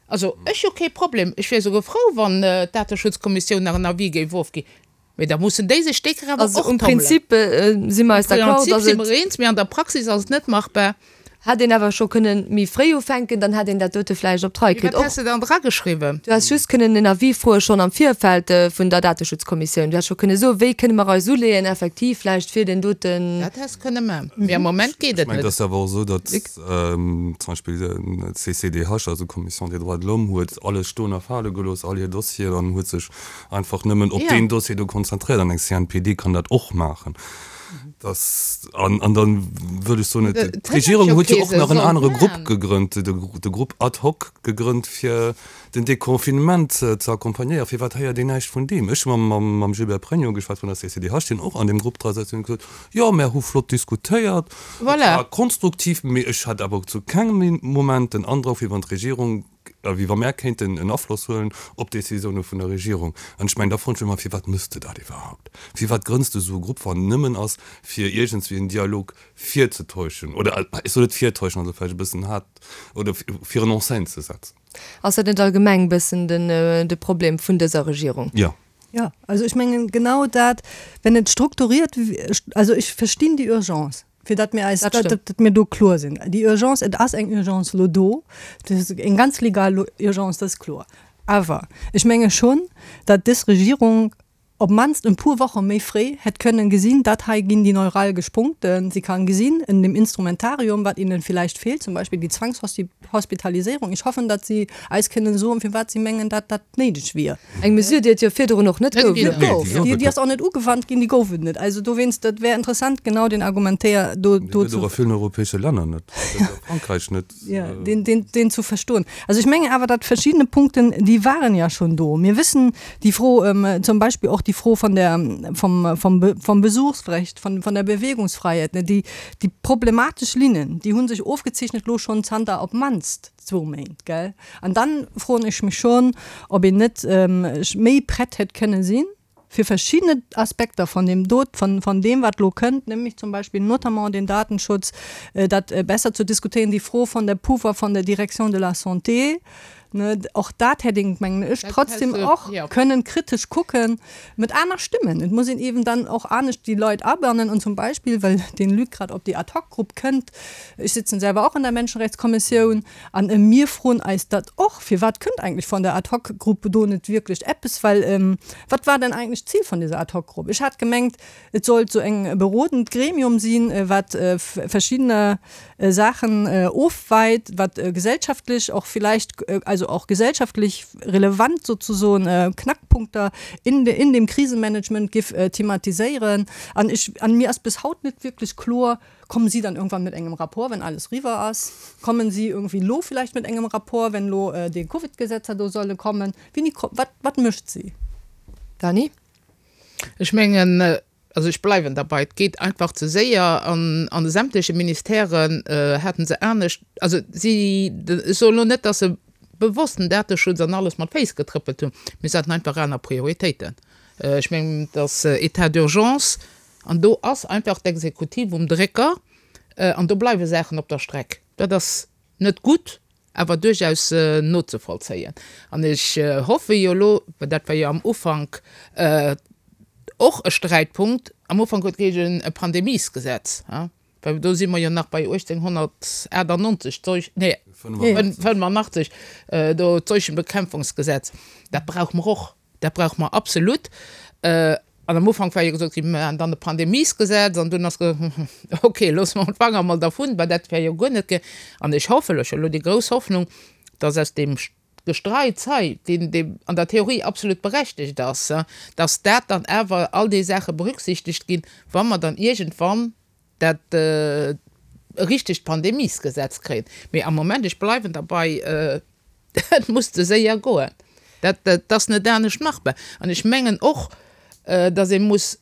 S4: Also ech hu kee Problem, ech wier esouguer frou, wann d'Dateschutzkommissioun nach en Avis géif ofginn. Mee da mussen déi sech déi Kéier awer
S3: Also
S4: och
S3: um
S4: tommelen.
S3: Prinzip si mer
S4: Um
S3: eis d'accord,
S4: Prinzip
S3: dass
S4: si
S3: et.
S4: mer eens, mee an der Praxis ass et net machbar.
S3: Hätt een awer scho kënnen méi fréi ufänken, dann hätt een dat dote vläicht op d'Rei kritt.
S4: Wat häss de dann drageschriwwen?
S3: Du häss just kënnen en Avis froe schonn am Virfeld vun der Dateschutzkommissioun. Du häss scho kënne soen, wéi kënne mer eis uleeën effektiv vläicht fir deen doten.
S4: Dat häss kënne man, mee am Moment geet
S6: Ech
S4: et
S6: mengen, et
S4: net.
S6: ass awer och esou, datt zum Beispill den C C D H, also d'Commission des droits de l'homme, huet alles stoen a fale gelooss, all hir Dossieren, an huet sech einfach nëmmen op
S4: Ja.
S6: deen Dossier do konzentréiert. An eng C N P D kann dat och maachen. Das, an, an dann wëll ech soen,
S4: Et hätt
S6: d'Regierung
S4: jo
S6: huet jo
S4: kee
S6: och nach en
S4: sollt
S6: anere Grupp
S4: man.
S6: gegrënnt, de, de Grupp ad hoc gegrënnt fir den Deconfinement ze accompagnéieren. Firwat héiert een näischt vun deem? Ech hu mam, mam, mam Gilbert Pregno geschwat vun der C C D H, deen och an deem Grupp dra sëtzt, an huet gesot, jo, mär hu flott diskutéiert, et
S4: Voilà.
S6: war konstruktiv, mee ech hat awer zu kengem Moment den Androck, wéi wann d'Regierung, wéi wa mär kéinten en Afloss huelen op d'Decisioune vun der Regierung. An ech mengen, da froen ech mech ëmmer, firwat méchs de dat iwwerhaapt? Firwat grënns de esou e Grupp, wann nëmmen ass, fir iergendswéi en Dialog virzetäuschen oder, ech soen net virtäuschen, also vläicht e bëssen haart, oder fir en en scène ze setzen?
S3: Ass dat net allgemeng e bëssen den, de Problem vun dëser Regierung?
S6: Jo.
S5: Ja, also ech mengen, genau dat, wenn et strukturiert, also ech verstinn déi Urgence, fir datt mir eis,
S3: Dat
S5: dat,
S3: stëmmt.
S5: dat mir do kloer sinn. Déi Urgence, et ass eng Urgence lo do, dat ass eng ganz legal Urgence, dat ass kloer. Awer ech menge schonn, datt dës Regierung op mannst e puer Woche méi fréi hätt kënnen gesinn, dat hei ginn déi neuralgesch Punkten. Si kann gesinn in dem Instrumentarium, wat ihnen vielleicht fehlt, zum Beispiel die Zwangshospitalisierung. Ich hoffen, datt si eis kënnen soen, firwat si mengen, datt dat néideg wier.
S3: Eng Mesure, déi et jo virdrun och net
S4: Net
S3: gouf.
S4: ginn.
S6: Nee, déi
S5: Gouf.
S6: gouf
S5: Déi,
S6: et
S5: déi ass och net ugewannt ginn, déi gouf et net. Also dowéinst, dat wär interessant, genau den Argumentaire do,
S6: Déi
S5: do
S6: gëtt
S5: zu
S6: och a villen europäesche Länner net. Gëtt a Frankräich net.
S5: Ja, den, den, den zu verstoen. Also ech mengen awer, datt verschidde Punkten, déi waren ja schonn do. Mir wëssen déi Fro, ähm, zum Beispill och déi Fro vun der, vum, vum, Be vum Besuchsrecht, vun, vun der Bewegungsfreiheit, ne, déi, déi problematesch Linnen, déi hu sech ofgezeechent lo schonn zanter op mannst zwou Méint, gell? An dann froen ech mech schonn, ob een net ähm, méi prett hätt kënne sinn, fir verschidde Aspekter vun deem dot, vun, vun deem, wat lo kënnt, nämlech zum Beispill notamment den Datenschutz, äh, dat äh, besser ze diskutéieren, déi Fro vun der Pouvoir vun der Direction de la Santé, ne, och dat hätt een, mengen ech,
S4: Dat
S5: trotzdem
S4: häss du-
S5: och
S4: ja.
S5: kënnen kritesch kucken mat aner Stëmmen. Et muss een eben dann och anescht déi Leit abannen an zum Beispill, well den Luc grad op déi Ad-hoc-Grupp kënnt, ech sëtzen selwer och an der Menschenrechtskommissioun, an äh, mir froen eis dat och, firwat kënnt eigentlech vun der Ad-hoc-Grupp do net wierklech eppes, well ähm, wat war denn eigentlech d'Zil vun dëser Ad-hoc-Grupp? Ech hat gemengt, et sollt sou en berodend Gremium sinn, äh, wat äh, verschidde äh, Saachen äh, ofweit, wat äh, gesellschaftlech och vläicht, äh, also och gesellschaftlech relevant sozesoen äh, Knackpunkter in, de, in dem Krisenmanagement géif äh, thematiséieren. An ech, an mir ass bis haut net wierklech kloer, kommen si dann irgendwann mat engem Rapport, wann alles eriwwer ass? Kommen si iergendwéi lo vläicht mat engem Rapport, wann lo äh, déi Covid-Gesetzer do solle kommen? Wéini, wat, wat mécht si?
S3: Dani?
S4: Ech mengen, äh, also ech bleiwen derbäi, et geet einfach ze séier an, an de sämtleche Ministèren äh, haten se anescht, also si ech soen lo net, datt se bewosst den Dateschutz an alles mat Féiss getrëppelt hunn, mee se haten einfach aner Prioritéiten. Äh, ech mengen, dat äh, État d'urgence an do ass einfach d'Exekutiv um Drécker äh, an do bleiwe Saachen op der Streck. Dat ass net gutt, awer duerchaus äh, nozevollzéien. An ech äh, hoffe jo lo, well dat war jo am Ufank äh, och e Sträitpunkt, am Ufank huet geheeschen e Pandemiesgesetz, ja? Well do si mer jo nach bei achtzehnhunnertachtundneunzeg, Seuch, nee, fënnefundachtzeg, äh, do d'Seuchenbekämpfungsgesetz. Dat brauche mer och, dat brauche mer absolut. Äh, an am Ufank war jo gesot ginn, mir maachen dann e Pandemiesgesetz an dunn ass ge okay, loosse mer d'Fanger mol dovun, well dat wär jo guer net ge an ech hoffen, ech hu lo déi grouss Hoffnung, dass aus deem Gestreits hei, deen, deen an der Theorie absolut berechtegt ass, dass dat dann awer all déi Saache berücksichtegt ginn, wa mer dann iergendwann dat äh, richtegt Pandemiesgesetz kréien. Mee am Moment, ech bleiwen derbäi, äh, et muss ze séier goen. Dat, dat, dat ass net anescht machbar. An ech mengen och, äh, dass ee muss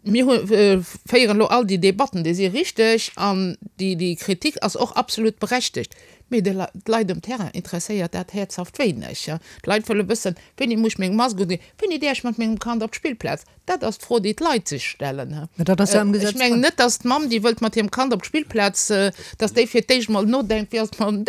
S4: mir äh, féieren lo all déi Debatten, déi si richteg an déi, déi Kritik ass och absolut berechtegt. Mee d'Leit um Terrain interesséiert dat häerzhaft wéineg. Ja. D'Leit wëlle wëssen, wéini muss ech meng Mask undinn, wéini däerf ech mat mengem Kand op d'Spillplaz. Dat ass d'Fro, déi d'Leit sech stellen. Ja.
S5: Ja, dat ass ja am
S4: Äh,
S5: Gesetz
S4: ech mengen
S5: dran.
S4: net, dass d'Mamm, déi wëllt mat hirem Kand op d'Spillplaz, äh, dass déi fir d'éischt mol nodenkt, wéi ass et mam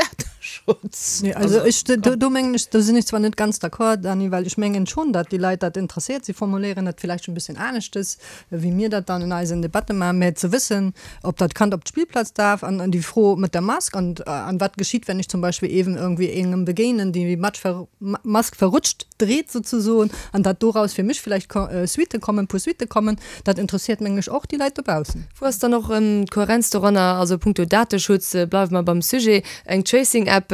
S4: Dateschutz.
S5: Nee, also ech, do, do mengen ech, do sinn ech zwar net ganz d'accord, Dany, well ech mengen schonn, datt déi Leit dat interesséiert. Si formuléieren dat villäicht e bëssen aneschtes, wéi mir dat dann in eisen Debatte maachen, mä ze wëssen, ob dat Kand op d'Spillplaz darf an, an déi Fro mat der Mask an, an wat geschitt, wenn ich zum Beispiel eben irgendwie engem begéinen, déi die Mask verrutscht dreht sozusagen, an dat doraus fir mech vielleicht Suitte kommen, Poursuitte kommen, dat interesséiert mengen ech och déi Leit dobaussen.
S3: Wou ass dann och d'Kohärenz doranner? Also punkto Dateschutz, bleiwe mer beim Sujet, eng Tracing-App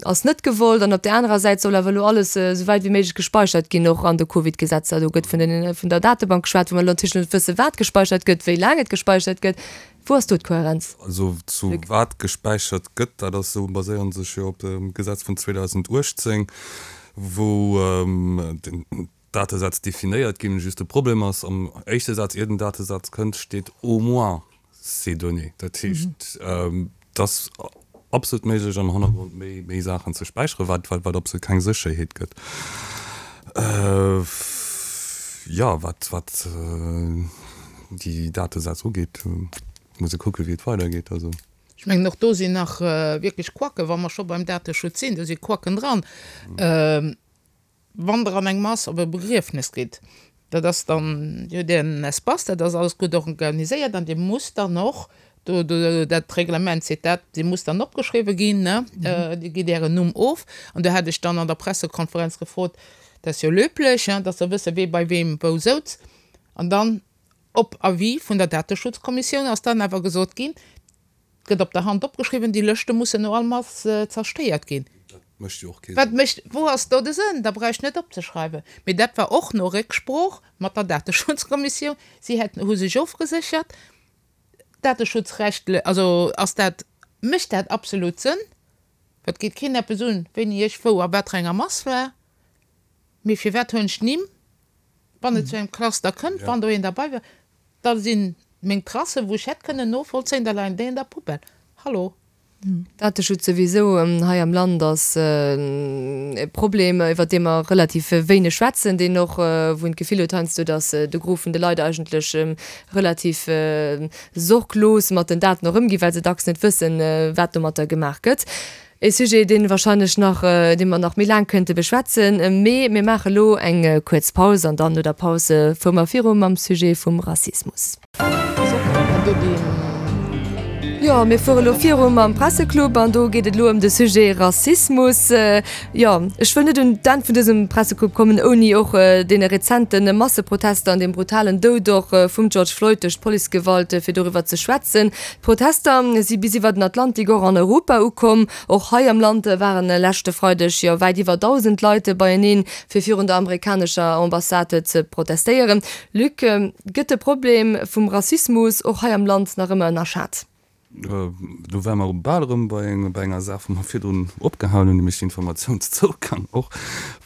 S3: ass net gewollt an op där anerer Säit soll awer elo alles esou wäit wéi méiglech gespeichert ginn, och an de Covid-Gesetzer. Do gëtt vun den, vun der Datebank geschwat, wou mer elo natierlech net wësse wat gespeichert gëtt, wéi laang et gespeichert gëtt. Wou ass do d'Kohärenz?
S6: Also zu
S3: Luc?
S6: wat gespäichert gëtt, dat ass esou, baséiere sech jo op dem Gesetz vun zweedausenduechtzéng wou den Datesätz definéiert ginn. Just de Problem ass, am éischte Saz, ier den Datesaz kënnt, steet au moins ces données. Dat heescht, et ass absolut méiglech, am Hannergrond méi, méi Saachen ze späicheren, wat, wat, wat absolut keng Sécherheet gëtt. Jo, wat, wat déi Datesätz ugeet, muss ee kucken, wéi et weidergeet. Also.
S4: Ech mengen, och do sinn nach wierklech Quacken, wa mer scho beim Dateschutz sinn, do si Quacken dran. Wann Der an eng Mass op e Begriefnes gitt, dat ass dann, Dir hutt Ären Espace, dat ass alles gutt organiséiert an Dir musst dann och, do, do, dat Reglement seet dat, Dir musst dann opgeschriwwe ginn, ne, Dir gitt Ären Numm of. An do hat ech dann an der Pressekonferenz gefrot, dat ass jo löblich, dass se wësse wee bei weem wou souz. An dann op Avis vun der Dateschutzkommissioun ass dann awer gesot ginn, et gëtt op der Hand opgeschriwwen, déi Lëschte mussen no all Mass zerstéiert ginn.
S6: Dat mécht jo och kee
S4: Wat
S6: Sënn.
S4: mécht, wou ass do de Sënn? Da brauch ech net opzeschreiwen. Mee dat war och no Récksprooch mat der Dateschutzkommissioun. Si hätten, hu sech ofgeséchert, dateschutzrechtle, also ass dat, mécht dat absolut Sënn? Et geet keen eppes un, wéini ech wou a wat fir enger Mass war. Mee firwat hunn ech d'Nimm, wann et zu engem Cluster kënnt, wann do een derbei war, da si meng Tracen, wou ech hätt kënnen novollzéien, da leien déi an der Poubelle. Hallo?
S3: Dateschutz souwisou hei am Land ass e Problem, iwwer dee mer relativ wéineg schwätzen, deen och, wou een d'Gefill huet heiansdo, datt de Gros vun de Leit eigentlech relativ sorglos mat den Daten och ëmginn, well se dacks net wëssen, wat domatter gemaach gëtt. E Sujet, dee wahrscheinlech nach, dee mer nach méi laang kënnte beschwätzen, mee mir maache lo eng kuerz Paus an dann no der Paus fuere mer viru mam Sujet vum Rassismus. Jo, mir fuere lo viru mam Presseclub an do geet et lo ëm de Sujet Rassismus. Jo, ech wëll net un d'Enn vun dësem Presseclub kommen, ouni och deene rezente Masseprotester an deem brutalen Doud och vum George Floyd duerch d'Policegewalt, fir doriwwer ze schwätzen. D'Protester si bis iwwer den Atlantik och an Europa ukomm. Och hei am Land waren leschte Freideg jo wäit iwwer dausend Leit beieneen, fir virun der amerikanescher Ambassade ze protestéieren. Luc, gëtt de Problem vum Rassismus och hei am Land nach ëmmer ënnerschat?
S6: Do wäre mer bal erëm bei enger Saach, wou mer virdrun opgehalen hunn, nämlech Informatiounszougang och,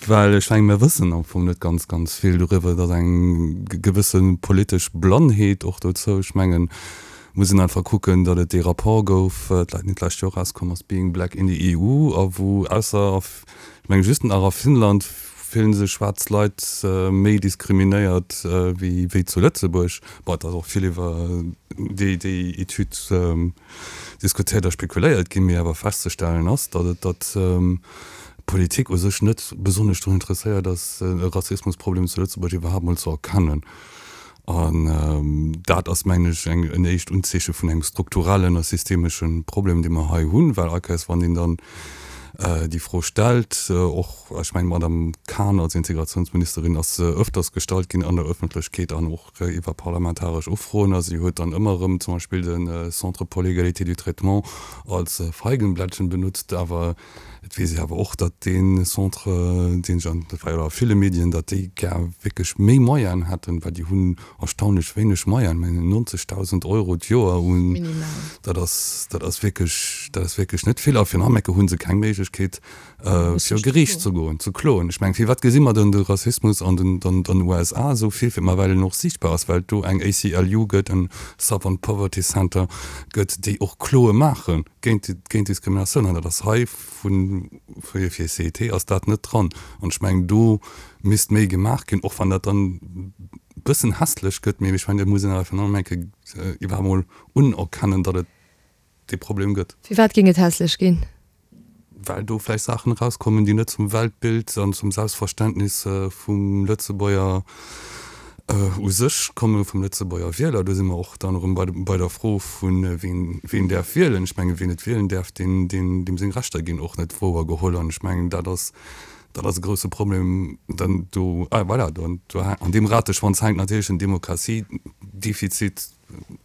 S6: well ech mengen, mir wëssen am Fong net ganz, ganz vill doriwwer. Et ass eng gewësse politesch Blannheet och dozou. Ech mengen, et muss een einfach kucken, datt et dee Rapport gouf, dat net d'lescht Joer erauskomm ass, Being Black in the E U, a wou ausser, ech mengen, just nach a Finnland fillen sech schwaarz Leit méi diskriminéiert wéi zu Lëtzebuerg. Bon, et ass och vill iwwer déi déi Etüd diskutéiert a spekuléiert ginn, mee awer festzestellen ass, datt et datt d'Politik u sech net besonnesch drun interesséiert ass, e Rassismusproblem zu Lëtzebuerg iwwerhaapt mol ze erkennen. An dat ass, mengen ech, eng en éischt Unzeeche vun engem strukturellen a systemesche Problem, dee mer hei hunn, well allkéiers wann een dann déi Fro stellt, och, ech mengen, d'Madame Cahn als Integrationsministerin ass se öfters gestallt ginn an der Öffentlechkeet an och iwwer parlamentaresch Ufroen, a si huet dann ëmmer erëm zum Beispill de Centre pour l'égalité du traitement als Feigenblättchen benutzt. Awer et weess ee awer och, datt dee Centre, deen ech an, dat war jo a ville Medien, datt déi gär wierklech méi Moyenen hätten, well déi hunn erstaunlech wéineg Moyenen, mengen neunzigtausend Euro d'Joer un, dat ass, dat ass wierklech, dat ass wierklech net vill. A fir nach eng Kéier hu se keng Méiglechkeet, fir Geriicht ze goen, ze kloen. Ech mengen, firwat gesi mer dann de Rassismus an den, den, den U S A esou vill? Fir ma well en och siichtbar ass, well et do eng A C L U gëtt, en Southern Poverty Center gëtt, déi och Kloe maache géint, géint Diskriminatioun. An dat ass hei vun, fir, fir C E T ass dat net dran. An ech mengen, do misst méi gemaach ginn, och wann dat dann e bëssen hässlech gëtt, mee ech mengen, dat muss een awer nach eng Kéier iwwerhaapt mol unerkennen, datt et dee Problem gëtt.
S3: Firwat géing et hässlech ginn?
S6: well do vläicht Saachen erauskommen, déi net zum Weltbild an zum Selbstverständnis vum Lëtzebuerger u sech kommen, vum Lëtzebuerger Wieler. Do si mer och dann erëm bei der Fro vu wien wien däerf wielen. Ech mengen, wien net wielen däerf, deen deem seng Rechter ginn och net wouergeholl. An ech mengen, dat ass dat ass e grouse Problem. Dann do, ah voilà, do an deem Rateschwanz hänkt natierlech den Demokratiedefizit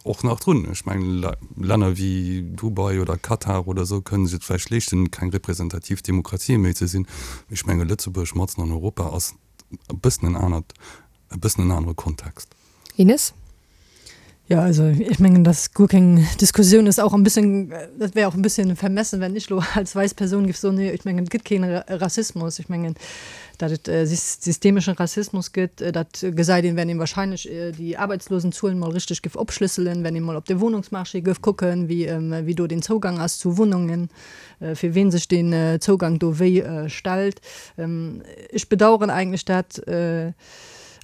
S6: och nach drun. Ech mengen, Länner wéi Dubai oder Katar oder esou kënnen sech et vläicht leeschten, keng representativ Demokratie méi ze sinn. Mee ech mengen, Lëtzebuerg matzen an Europa ass e bëssen en anert, e bëssen en anere Kontext.
S3: Ines?
S5: Ja, also ich mengen, dass guer keng Diskussioun ass, auch en bisschen, dat wär och en bisschen vermessen, wenn ech lo als wäiss Persoun giff soen, nee, ech mengen, et gëtt keen Rassismus. Ech mengen, datt et systemeschen Rassismus gëtt, dat gesäit een, wenn een wahrscheinlech déi Aarbeitslosenzuelen mol richteg giff opschlësselen, wenn een mol op de Wohnungsmarché gëff kucken, wéi wéi do den Zougang ass zu Wohnungen, fir ween sech deen Zougang do wéi stellt. Ech bedauern eigentlech dat,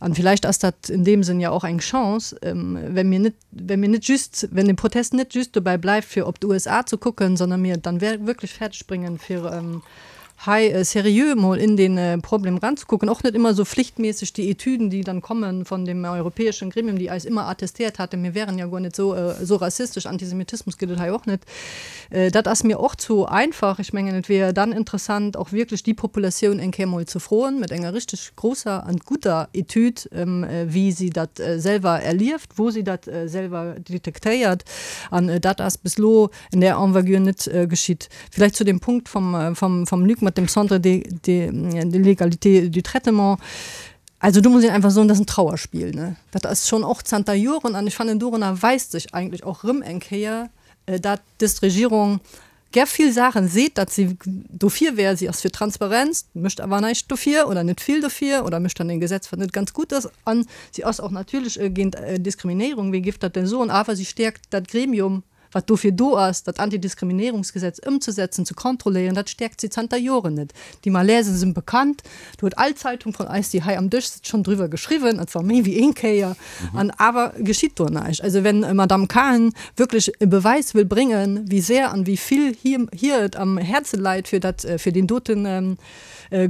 S5: An vielleicht ass dat in deem Sënn ja och eng Chance, wenn mir net, wenn mir net just, wenn de Protest net just dobäi bleift fir op d'USA ze kucken, sondern mir et dann wierklech fäerdeg bréngen fir hei seriö mol in den Problem ranzekucken, och net immer sou flichtmäßig déi Etüden, déi dann kommen von dem europäeschen Gremium, déi eis immer attestiert haten, mir wären ja guer net sou sou rassistesch, Antisemitismus gëtt et hei och net. Dat ass mir och zu einfach. Ech mengen, et wier dann interessant, och wierklech déi Populatioun eng Kéier mol ze froen, mat enger richteg grousser an gutter Etüd, wéi si dat selwer erlieft, wou si dat selwer detektéiert. An dat ass bis elo in där Envergure net geschitt. Vielleicht zu dem Punkt vom, vom, vom Luc mat dem Centre de, de, de l'égalité du traitement. Also do muss een einfach soen, dat ass en Trauerspiel, ne? Dat ass schonn och zanter Joren an ech fannen, dorunner weist sech eigentlech och erëm eng Kéier, dat dës Regierung gär vill Saachen seet, dat si dofir wär, si ass fir Transparenz, mécht awer näischt dofir oder net vill dofir oder mécht dann e Gesetz, wat net ganz gutt ass. An si ass och natierlech géint Diskriminéierung, wee géif dat denn soen, awer si stäerkt dat Gremium, wat dofir do ass, dat Antidiskriminéierungsgesetz ëmzesetzen, ze kontrolléieren, dat stäerkt si zanter Joren net. Déi Malaisen sinn bekannt, do huet all Zeitung vun eis, déi hei am Dësch sëtzt, schonn driwwer geschriwwen, an zwar méi wéi een Kéier, an awer geschitt do näischt. Also wenn Madamm Cahen wierklech e Beweis wëll bréngen, wéi sehr an wéi vill hir hir et am Häerze leit fir dat, fir deen doten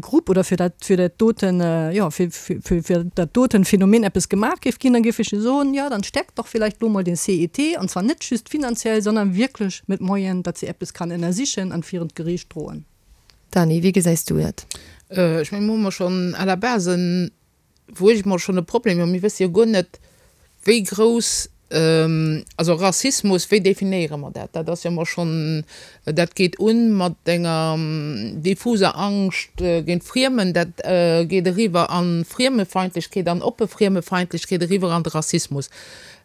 S5: Grupp oder fir dat, fir dat doten, jo, fir, fir, fir dat doten Phänomen eppes gemaach géif ginn, da géif ech soen, jo, dann stäerkt doch vielleicht elo mol den CET, an zwar net just finanziell, sondern wierklech mit Moyen, datt si eppes kann ënnersichen an virun d'Geriicht droen.
S3: Dany, wéi gesäis du dat?
S4: Ech mengen, do hu mer schonn à la base en, wou ech mol schonn e Problem hunn, mir wësse jo guer net, wéi grouss, also Rassismus, wéi definéiere mer dat? Dat ass jo emol schonn, dat geet un mat enger diffuser Angscht géint Friemen, dat geet eriwwer a Friemefeindlechkeet an oppe Friemefeindlechkeet, eriwwer an de Rassismus.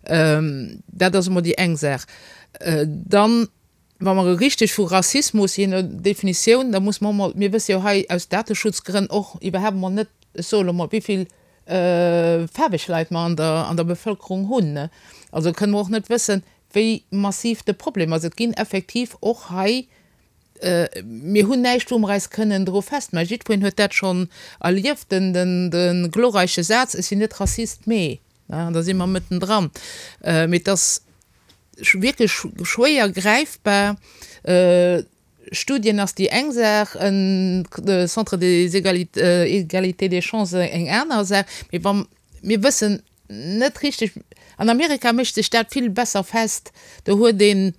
S4: Dat ass emol déi eng Saach. Dann, wa mer richteg vu Rassismus, jee no Definitioun, da muss mer och mol, mir wësse jo hei aus Dateschutzgrënn och iwwerhaapt emol net, ech soe lo mol, wéi vill faarweg Leit mer an der, an der Bevëlkerung hunn. Also kënne mer och net wëssen, wéi massiv de Problem ass. Et ginn effektiv och hei, mir hunn näischt, wou mer eis kënnen dru festmaachen. Jiddwereen huet dat schonn erlieft, den, den, de glorreiche Saz, Ech sinn net Rassist, mee, an da si mer mëttendran. Mee et ass wierklech schwéier gräifbar. Studien ass déi eng Saach, e Centre des égalités des chances eng aner Saach. Mee wa mir wëssen net richteg, an Amerika mécht sech dat vill besser fest, do huet een,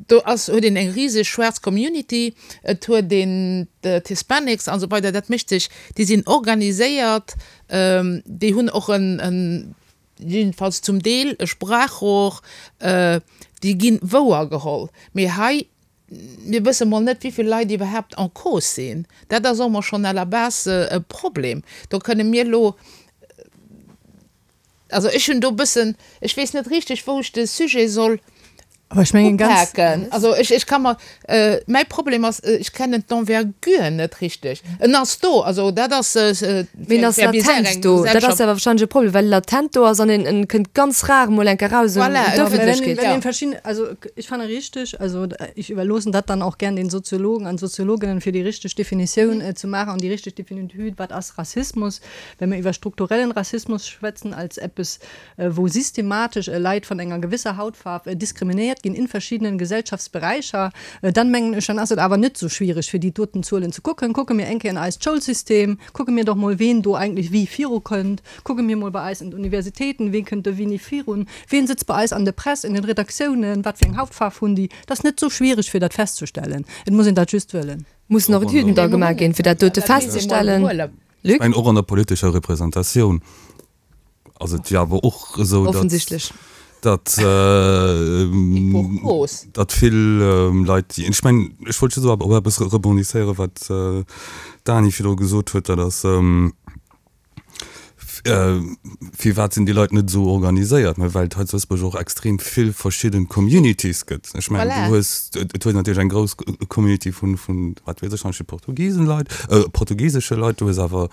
S4: do ass, huet een eng riseg schwaarz Community, et huet een d'Hispanics an esou weider, dat mécht sech, déi sinn organiséiert, déi hunn och en, jedenfalls zum Deel, e Sprachrohr, déi gi wouer geholl. Mee hei, mir wësse mol net, wéi vill Leit iwwerhaapt en cause sinn. Dat ass och mol schonn à la base e Problem. Do kënne mir elo, also ech hunn do e bëssen, ech weess net richteg, wou ech de Sujet soll
S5: Aber ech mengen ganz.
S4: Upaken. Also ech, ech ka mer, mäi Problem ass, ech kennen d'Envergure net richteg. En ass do, also dat ass
S3: Mee en ass latent do. Dat ass awer wahrscheinlech e Problem, well e latent do ass an en, en kënnt ganz rar mol eng Kéier raus un
S4: Voilà,
S3: d'Ëffentlechkeet.
S5: Wenn een verschieden, also ech fanne richteg, also ich überloossen dat dann och gern den Soziologen an Soziologinnen, fir déi richteg Definitioun ze maachen an déi richteg Definitioun, wat ass Rassismus, well mir iwwer strukturellen Rassismus schwätzen als eppes, wou systematesch Leit vun enger gewësser Hautfaarf diskriminéiert ginn in verschiedenen Gesellschaftsberäicher, dann mengen ech, dann ass et awer net sou schwiereg fir déi doten Zuelen ze kucken. Kucke mir eng Kéier an eist Schoulsystem, kucke mir doch mol ween do eigentlech wéi virukënnt, kucke mir mol bei eis an d'Universitéiten, wee kënnt do wéini virun, ween sëtzt bei eis an der Press, in den Redaktiounen, wat fir eng Hautfaarf hunn déi. Dat ass net sou schwiereg fir dat festzestellen, et muss een dat just wëllen.
S3: Mussen och Etüden da gemaach ginn, fir dat dote festzestellen.
S6: Luc? Ech mengen och an der politescher Representatioun ass et jo awer och esou, datt, datt, datt vill Leit, déi, ech mengen, ech wollt just op eppes rebondisséieren, wat d'Dany virdru gesot huet, dat ass, Firwat sinn déi Leit net esou organiséiert? Mä well et hei zu Lëtzebuerg och extrem vill verschidden Communities gëtt. Ech mengen, du hues, et hues natierlech eng grouss Community vun, vun, wat weess ech, zum Beispill Portugisen Leit, portugisesche Leit, du hues awer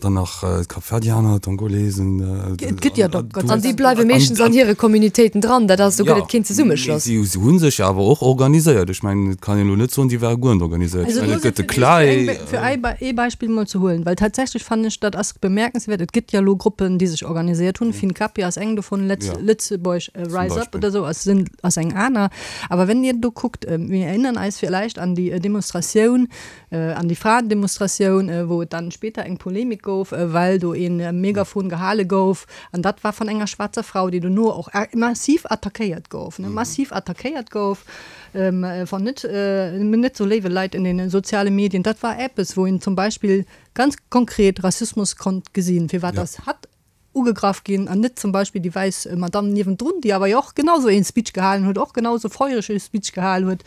S6: dann nach d'Kapverdianer, d'Angolesen.
S5: Et gëtt jo dach
S3: An déi bleiwe meeschtens an hire Communitéiten dran. Dat ass, do gëtt et keen Zesummeschloss.
S6: Jo, mee si hu sech jo awer och organiséiert. Ech mengen, et kann een elo net soen, déi ware guer net organiséiert. Ech mengen, et gëtt de CLAE.
S5: Fir ee Beispill mol ze huelen, well tatsächlech fannen ech, dat ass bemerkenswert, et gëtt jo elo Gruppen, déi sech organiséiert hunn, Fincapia ass eng dovun, Lëtzebuerg Rise Up oder esou ass ass eng aner. Awer wenn Dir do kuckt, mir erinnern eis villäicht an déi Demonstratioun, an déi Fraendemonstratioun, wou et dann später eng Polemik gouf, well do ee Megafon gehale gouf, an dat war van enger schwaarzer Frau, déi dono och massiv attackéiert gouf, ne, massiv attackéiert gouf van net, net sou léiwe Leit in den soziale Medien. Dat war eppes, wou een zum Beispill ganz konkret Rassismus konnt gesinn, firwat dass hatt ugegraff ginn an net zum Beispill déi wäiss Madamm niewendrun, déi awer jo och genau sou een Speech gehalen huet, och genau sou feureg ee Speech gehal huet.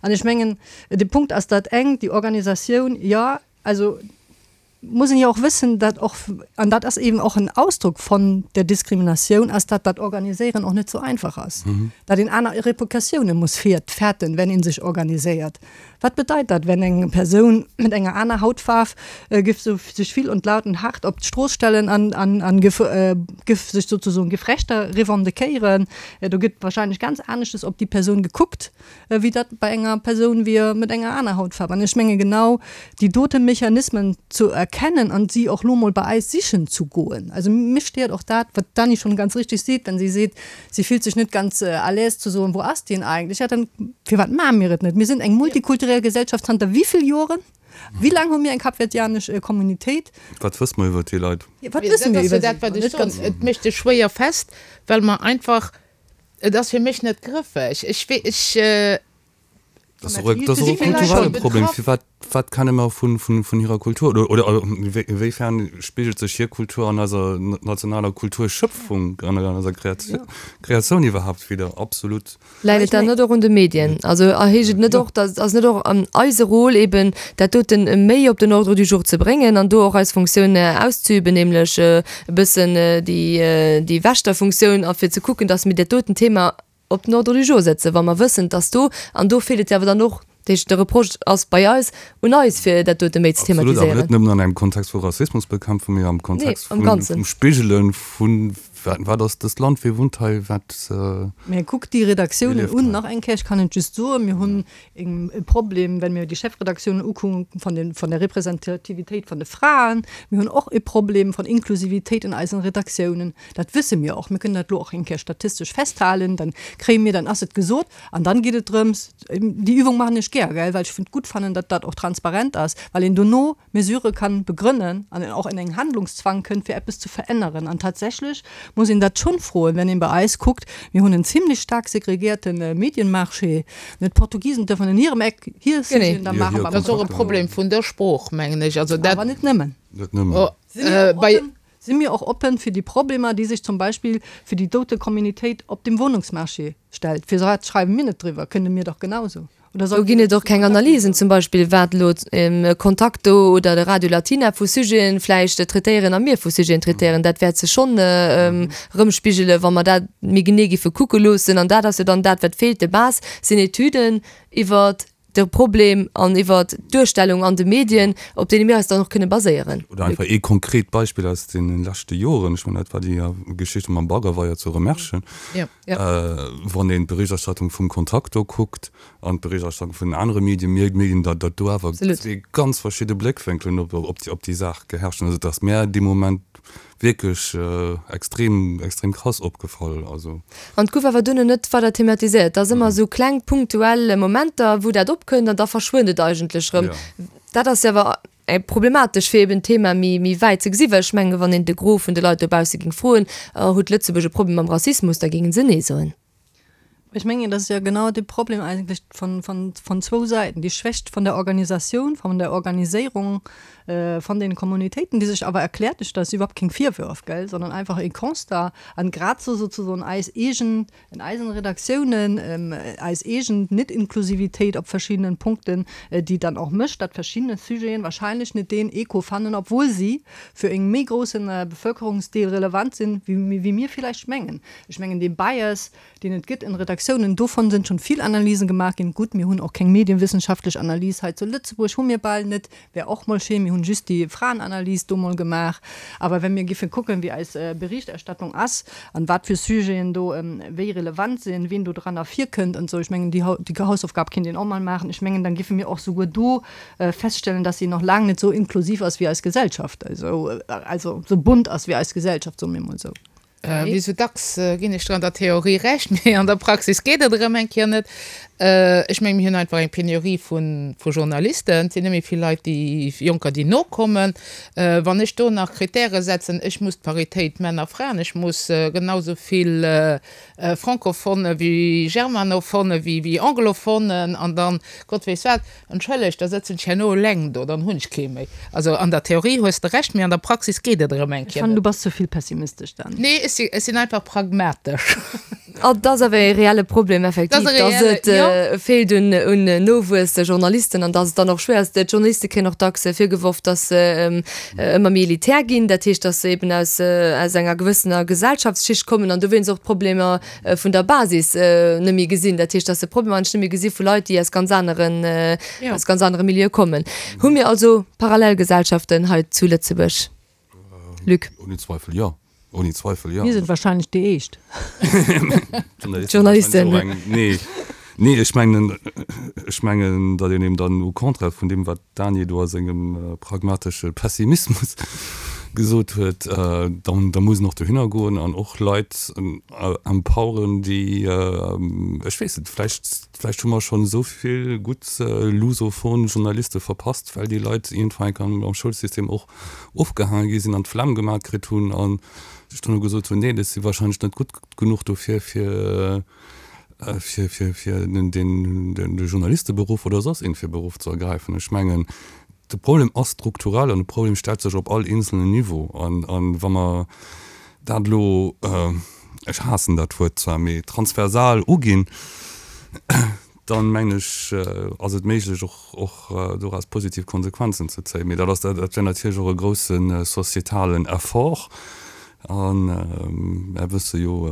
S5: An ech mengen, de Punkt ass dat eng, déi Organisatioun, jo, also muss een jo och wëssen, dat och, an dat ass eben och en Ausdruck von der Diskriminatioun, ass dat dat Organiséieren och net sou einfach ass, dat een aner Repercussioune muss fäerten, wenn een sech organiséiert. Wat bedeit dat, wenn eng Persoun mat enger aner Hautfaarf giff sou sech vill und laut und hart op d'Strooss stellen an an an giff giff sech sozusoen giff Rechter revendiquéieren? Do gëtt wahrscheinlech ganz aneschtes op déi Persoun gekuckt, wéi dat bei enger Persoun wier mat enger aner Hautfaarf. An ech menge genau déi dote Mechanismen zu erkennen an si och lo mol bei eis sichen zu goen. Also mech stéiert och dat, wat d'Dany schonn ganz richtig seet, wenn si seet, si fillt sech net ganz à l'aise zu soen, wou ass deen eigentlech? Ja, dann firwat maache mir et net? Mir sinn eng multikulturell Gesellschaft zanter wéivill Joren? Wéi laang hu mir eng kapverdianesch Communitéit?
S6: Wat wësse mer iwwert déi Leit?
S5: Wat wësse mir iwwer
S4: si? Dat ass jo dat, wat ech soen. Et mécht sech schwéier fest, well mer einfach, et ass fir mech net grëffeg. Ech wee, ech.
S6: Dat ass och e, dat ass och e kulturelle Problem. Firwat, wat kenne mer vun, vun, vun hirer Kultur? Oder, oder wéifern spigelt sech hir Kultur an eiser nationaler Kulturschöpfung, an eiser Kreatioun iwwerhaapt widder? Absolut.
S3: Läit et dann net och un de Medien? Also heescht et net och, dass, ass net och eise Rôle eben dat doten méi op den Ordre du jour ze bréngen an do och eis Funktioun auszeüben, nämlech e bëssen déi, déi Wächterfunktioun a fir ze kucken, dass mir dat doten Thema op den Ordre du jour setzen, wa mer wëssen, dass do, an do feelt et jo awer dann och, dat heescht de Reproche ass bei eis, un eis, fir dat dote méi ze
S6: Absolut, awer
S3: thematiséieren.
S6: net nëmmen an engem Kontext vu Rassismusbekämpfung, mee am
S3: Nee,
S6: Kontext
S3: am
S6: vun,
S3: Ganzen.
S6: vum Spigele vun, wat, wat ass dëst Land, wie wunnt hei, wat,
S5: Mä kuckt déi
S6: wie
S5: Redaktiounen
S6: lieft
S5: un,
S6: hei.
S5: nach eng Kéier, ech kann et just soen, mir hunn e Problem, wenn mir déi Chefredaktiounen ukucken, von den, von der Representativitéit von de Fraen. Mir hunn och e Problem von Inklusivitéit in eisen Redaktiounen. Dat wësse mir och. Mir kënnen dat elo och eng Kéier statistesch festhalen, dann kréie mir, dann ass et gesot an dann geet et drëms, déi Übung maachen ech gär, gell, well ech gutt fannen, datt dat och transparent ass, well een dono Mesurë kann begrënnen an een och in eng Handlungszwang kënnt, fir eppes ze veränneren. An tatsächlech muss een dat schonn froen, wenn een bei eis kuckt, mir hunn en zimlech staark segregierte Medienmarché, ne, d'Portugisen dürfen in hirem Eck hir Sujeten da maachen,
S4: Dat ass och e Problem vun der Sprooch, mengen ech. Also dat.
S5: Awer net nëmmen.
S6: Net nëmmen.
S5: Si mir och oppen, si mir och oppen fir déi Problemer, déi sech zum Beispill fir déi dote Communitéit op dem Wohnungsmarché stellt? Firwat schreiwe mir net driwwer? Kënne mir dach genauso. Oder
S3: Do
S5: sollte
S3: ginn
S5: mir
S3: et och keng Analysen, zum Beispill wat elo Contacto oder de Radio Latina vu Sujeten vläicht traitéieren a mir vu Sujeten traitéieren. Dat wäert sech schonn erëmspigelen, wa mer dat méi genee giffe kucke loossen. An dat ass jo dann dat, wat feelt, de Base sinn Etüden iwwert de Problem an iwwert d'Duerstellung an de Medien, op deene mir eis dann och kënne baséieren.
S6: Oder einfach ee konkret Beispill aus deene leschte Joren, ech mengen, dat war déi Geschichte mam Baggerweier zu Remerschen, wann een d'Berichterstattung vum Contacto kuckt an d'Berichterstattung vun den anere Medien, mierkt een, datt datt do awer zwee ganz verschidde Bléckwénkelen op déi Saach geherrscht hunn. Also datt mär dee Moment wierklech extrem extrem krass opgefall also.
S3: An et gouf awer duerno net weider thematiséiert. Et ass ëmmer esou kleng punktuell Momenter, wou dat opkënnt an da verschwënnt et eigentlech erëm. Dat ass jo awer problematesch, fir eben d'Thema méi méi wäit ze gesi well ech mengen, wann een de Gros vun de Leit dobausse géing froen, huet Lëtzebuerg e Problem mam Rassismus, da géinge se nee soen.
S5: Ech mengen, dat ass jo genau de Problem eigentlech von, von, von zwou Säiten, déi Schwächt von der Organisatioun, von der Organiséierung von den Kommunitéiten, déi sech awer erkläert, dat ass iwwerhaupt keng Virwürf, gell, sondern einfach e Constat an grad sou sozusagen eis eegen, in eisen Redaktiounen, eis eegen Net-Inklusivitéit op verschiddenen Punkten, déi dann och mécht, datt verschiddene Sujeten wahrscheinlech net deen Echo fannen, obwuel si fir e méi groussen Bevölkerungsdeel relevant sinn, wéi, wéi mir villäicht mengen. Ech mengen, dee Bias, deen et gëtt in Redaktiounen, dovun sinn schonn vill Analysen gemaach ginn. Gutt, mir hunn och keng medienwissenschaftlech Analys hei zu Lëtzebuerg, hu mir bal net, wär och mol schéin, mir hunn just déi Fraenanalys do mol gemaach. Awer wa mir giffen kucken, wéi eis Berichterstattung ass an wat fir Sujeten do wéi relevant sinn, wien do dran ervirkënnt an esou, ech mengen, déi déi Hausaufgab kinnt een och mol maachen. Ech mengen, dann giffe mir och souguer do feststellen, dass si nach laang net sou inklusiv ass wéi eis Gesellschaft, also also sou bunt ass wéi eis Gesellschaft, soe mir mol sou.
S4: Wéi sou dacks ginn ech der an der Theorie Recht, mee an der Praxis geet et erëm eng Kéier net. Ech mengen, mir hunn einfach eng Penurie vu Journalisten. Et sinn net méi vill Leit, déi Jonker, déi nokommen. Wann ech do nach Kritäre setzen, ech muss d'Paritéit Männer-Fraen, ech muss genau sou vill Francophone wéi Germanophone wéi Anglophone an dann Gott weess wat, Entschëllegt, da sëtzen ech herno eleng do, dann hunn ech kee méi. Also an der Theorie hues de Recht, mee an der Praxis geet et erëm eng
S5: Ech
S4: Kéier
S5: fannen,
S4: net.
S5: du bass ze vill pessimistesch, Dan.
S4: Nee, ech si, ech sinn einfach pragmatesch.
S3: An dat ass awer e reelle Problem effektiv,
S4: Dat ass e
S3: dass
S4: reelle,
S3: et
S4: jo.
S3: feelt un, un Nowuessjournalisten an dass et dann och schwéier ass. D'Journaliste kréien och dacks virgeworf, dass se ëmmer méi elitär ginn, dat heescht, dass se eben aus, aus enger gewëssener Gesellschaftsschicht kommen an dowéinst och d'Problemer vun der Basis net méi gesinn. Dat heescht, dass se d'Problemer eigentlech net méi gesi vu Leit, déi aus ganz aneren, aus ganz anere Milieue kommen. Hu mir also Parallelgesellschaften hei zu Lëtzebuerg, Luc?
S6: Ohne Zweifel jo. Ohne Zweifel jo.
S5: Mir sinn wahrscheinlech déi éischt.
S3: D'Journalisten.
S6: Nee, nee, ech mengen, ech mengen, datt een eben dann au contraire vun deem, wat d'Dany do a sengem pragmatesche Pessimismus gesot huet, dann, da muss en och dohinner goen an och Leit empoweren, déi, ech weess net, vläicht, vläicht hu mer schonn esou vill gutt lusophon Journaliste verpasst, well déi Leit iergendwann eng Kéier am Schoulsystem och ofgehaange gi sinn an d'Flemm gemat kritt hunn a sech duerno gesot hunn, nee, ech si wahrscheinlech net gutt genuch dofir, fir, fir, fir, fir den, den, de Journalisteberuff oder soss iergendwéi Beruff ze ergräifen. Ech mengen, de Problem ass strukturell an de Problem stellt sech op all eenzelnen Niveau. An, an wa mer dat elo, ech haassen dat Wuert zwar, mee transversal uginn, dann mengen ech, ass et méiglech och, och doraus positiv Konsequenzen ze zéien. Mee dat ass, dat wär natierlech och e grousse societalen Effort. A mär wësse jo,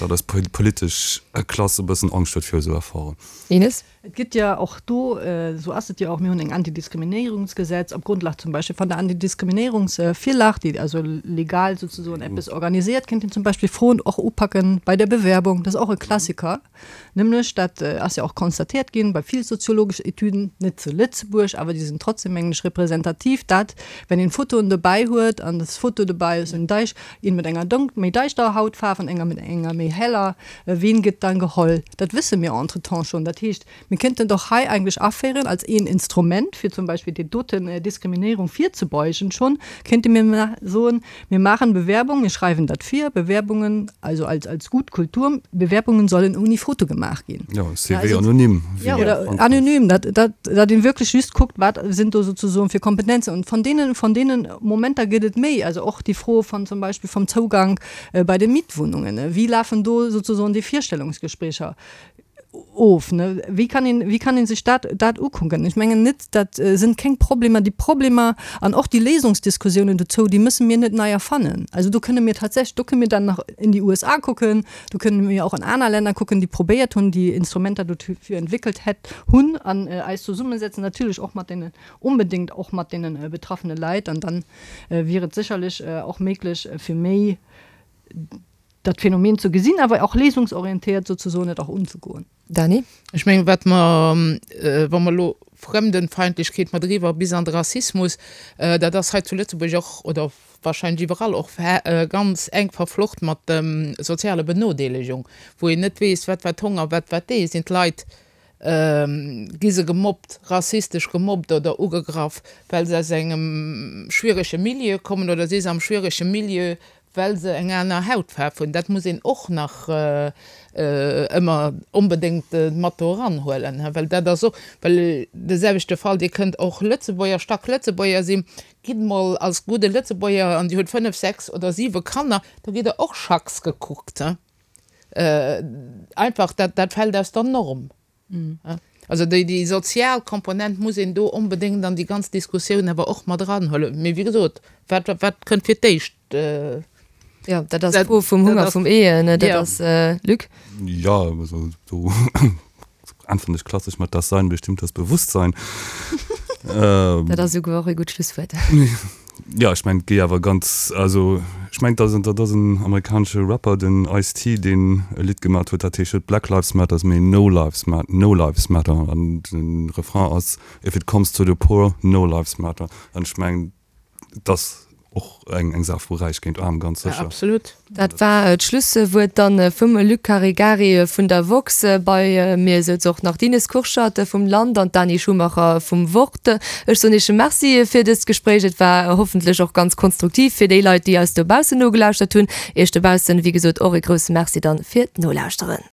S6: datt eis politesch Klass e bëssen Angscht huet viru esou Efforten.
S3: Ines?
S5: Et gëtt jo och do, esou ass et jo och, mir hunn eng Antidiskriminéierungsgesetz op Grundlag zum Beispill van der Antidiskriminéierungsvirlag, déi also legal souzesoen eppes organisiert, kéint een zum Beispill Froen och upacken bei der Bewerbung. Dat ass och e Klassiker, nämlech dat ass jo och constatéiert ginn bei vill soziologesch Etüden, net zu Lëtzebuerg, awer déi sinn trotzdem, mengen ech, representativ, dat wenn een Fotoen dobäi huet an des Foto dobäi ass en Deich, een mat enger donk méi deischterer Hautfaarf an enger mat enger méi heller, ween gëtt dann geholl? Dat wësse mir entretemps schonn. Dat heescht, mir kënnten doch hei eigentlech aféieren als een Instrument, fir zum Beispill déi doten Diskriminéierung virzebeugen schonn, kéinte mir soen, mir maachen Bewerbung, mir schreiwen dat vir, Bewerbungen, also als, als gut Kultur, Bewerbungen sollen ohne Foto gemaach ginn.
S6: Jo, C V anonym.
S5: Ja, oder anonym, dat, dat, dat een wierklech just kuckt, wat sinn do souzesoen fir Kompetenzen. Und von deenen, von deenen Momenter gëtt et méi. Also och déi Fro von zum Beispill vom Zougang bei de Mietwohnungen. Wéi lafen do souzesoen déi Virstellungsgesprécher of? Wéi kann een, wéi kann een sech dat, dat ukucken? Ech mengen net, dat sinn keng Problemer. Déi Problemer an och déi Léisungsdiskussiounen dozou, déi mësse mir net nei erfannen. Also do kënne mir tatsächlech, do kënne mir dann nach in déi U S A kucken, do kënne mir och an aner Länner kucken, déi probéiert hunn, déi Instrumenter dofir entwéckelt hätt, hunn an eis zesummesetzen, natierlech och mat deenen, onbedéngt och mat deene betraffene Leit. An dann wier et sécherlech och méiglech, fir méi dat Phänomen ze gesinn, awer och léisungsorientéiert souzesoen et och unzegoen.
S3: Dany?
S4: Ech mengen, wat mer, wa mer elo Fremdenfeindlichkeit mat eriwwer bis an de Rassismus, dat ass hei zu Lëtzebuerg och, oder wahrscheinlech iwwerall och ganz enk verflocht mat der sozialer Benodeelegung, wou een net weess, wat wat Honger, wat wat dee. Sinn d'Leit, gi se gemobbt, rassistesch gemobbt oder ugegraff, well se aus engem schwierege Milieu kommen oder si se am schwierege Milieu, well se eng aner Hautfaarf hunn. Dat muss een och nach ëmmer onbedéngt mat do eranhuelen, well dat ass och, well de selwechte Fall, Dir kënnt och Lëtzebuerger, stack Lëtzebuerger sinn, gitt mol als gudde Lëtzebuerger an Dir hutt fënnef, sechs oder siwe Kanner, da gitt Der och schacks gekuckt. Einfach, dat, dat fält aus der Norm. Also déi, déi sozial Komponent muss een do onbedéngt an déi ganz Diskussioun awer och mat eranhuelen. Mee wéi gesot, wat, wat kënnt fir d'éischt?
S3: Jo, dat ass d'Fro vum Hunger vum Ee, ne? Dat ass, Luc?
S6: Jo, also do äntweren ech klassesch mat, Das Sein bestimmt das Bewusstsein.
S3: Dat ass esouguer och e gutt Schlusswuert.
S6: Jo, ech mengen, et géi awer ganz, also ech mengen, dat dat ass en amerikanesche Rapper, den Ice-T, deen e Lidd gemat huet, dat heescht net Black Lives Matters, mee No Lives Ma No Lives Matter. An de Refrain ass If it comes to the poor, no lives matter. An ech mengen, et ass och eng eng Saach vu Räich géint Aarm, ganz
S4: sécher. Absolut.
S3: Dat war d'Schlusswuert dann vum Luc Caregari vun der woxx. Bei mir souz och nach d'Ines Kurschat vum Land an d'Dani Schumacher vum Wort. Ech soen Iech Merci fir dëst Gespréich. Et war hoffentlech och ganz konstruktiv fir déi Leit, déi eis dobaussen nogelauschtert hunn. Iech dobaussen, wéi gesot, och e grousse Merci dann fir d'Nolauschteren.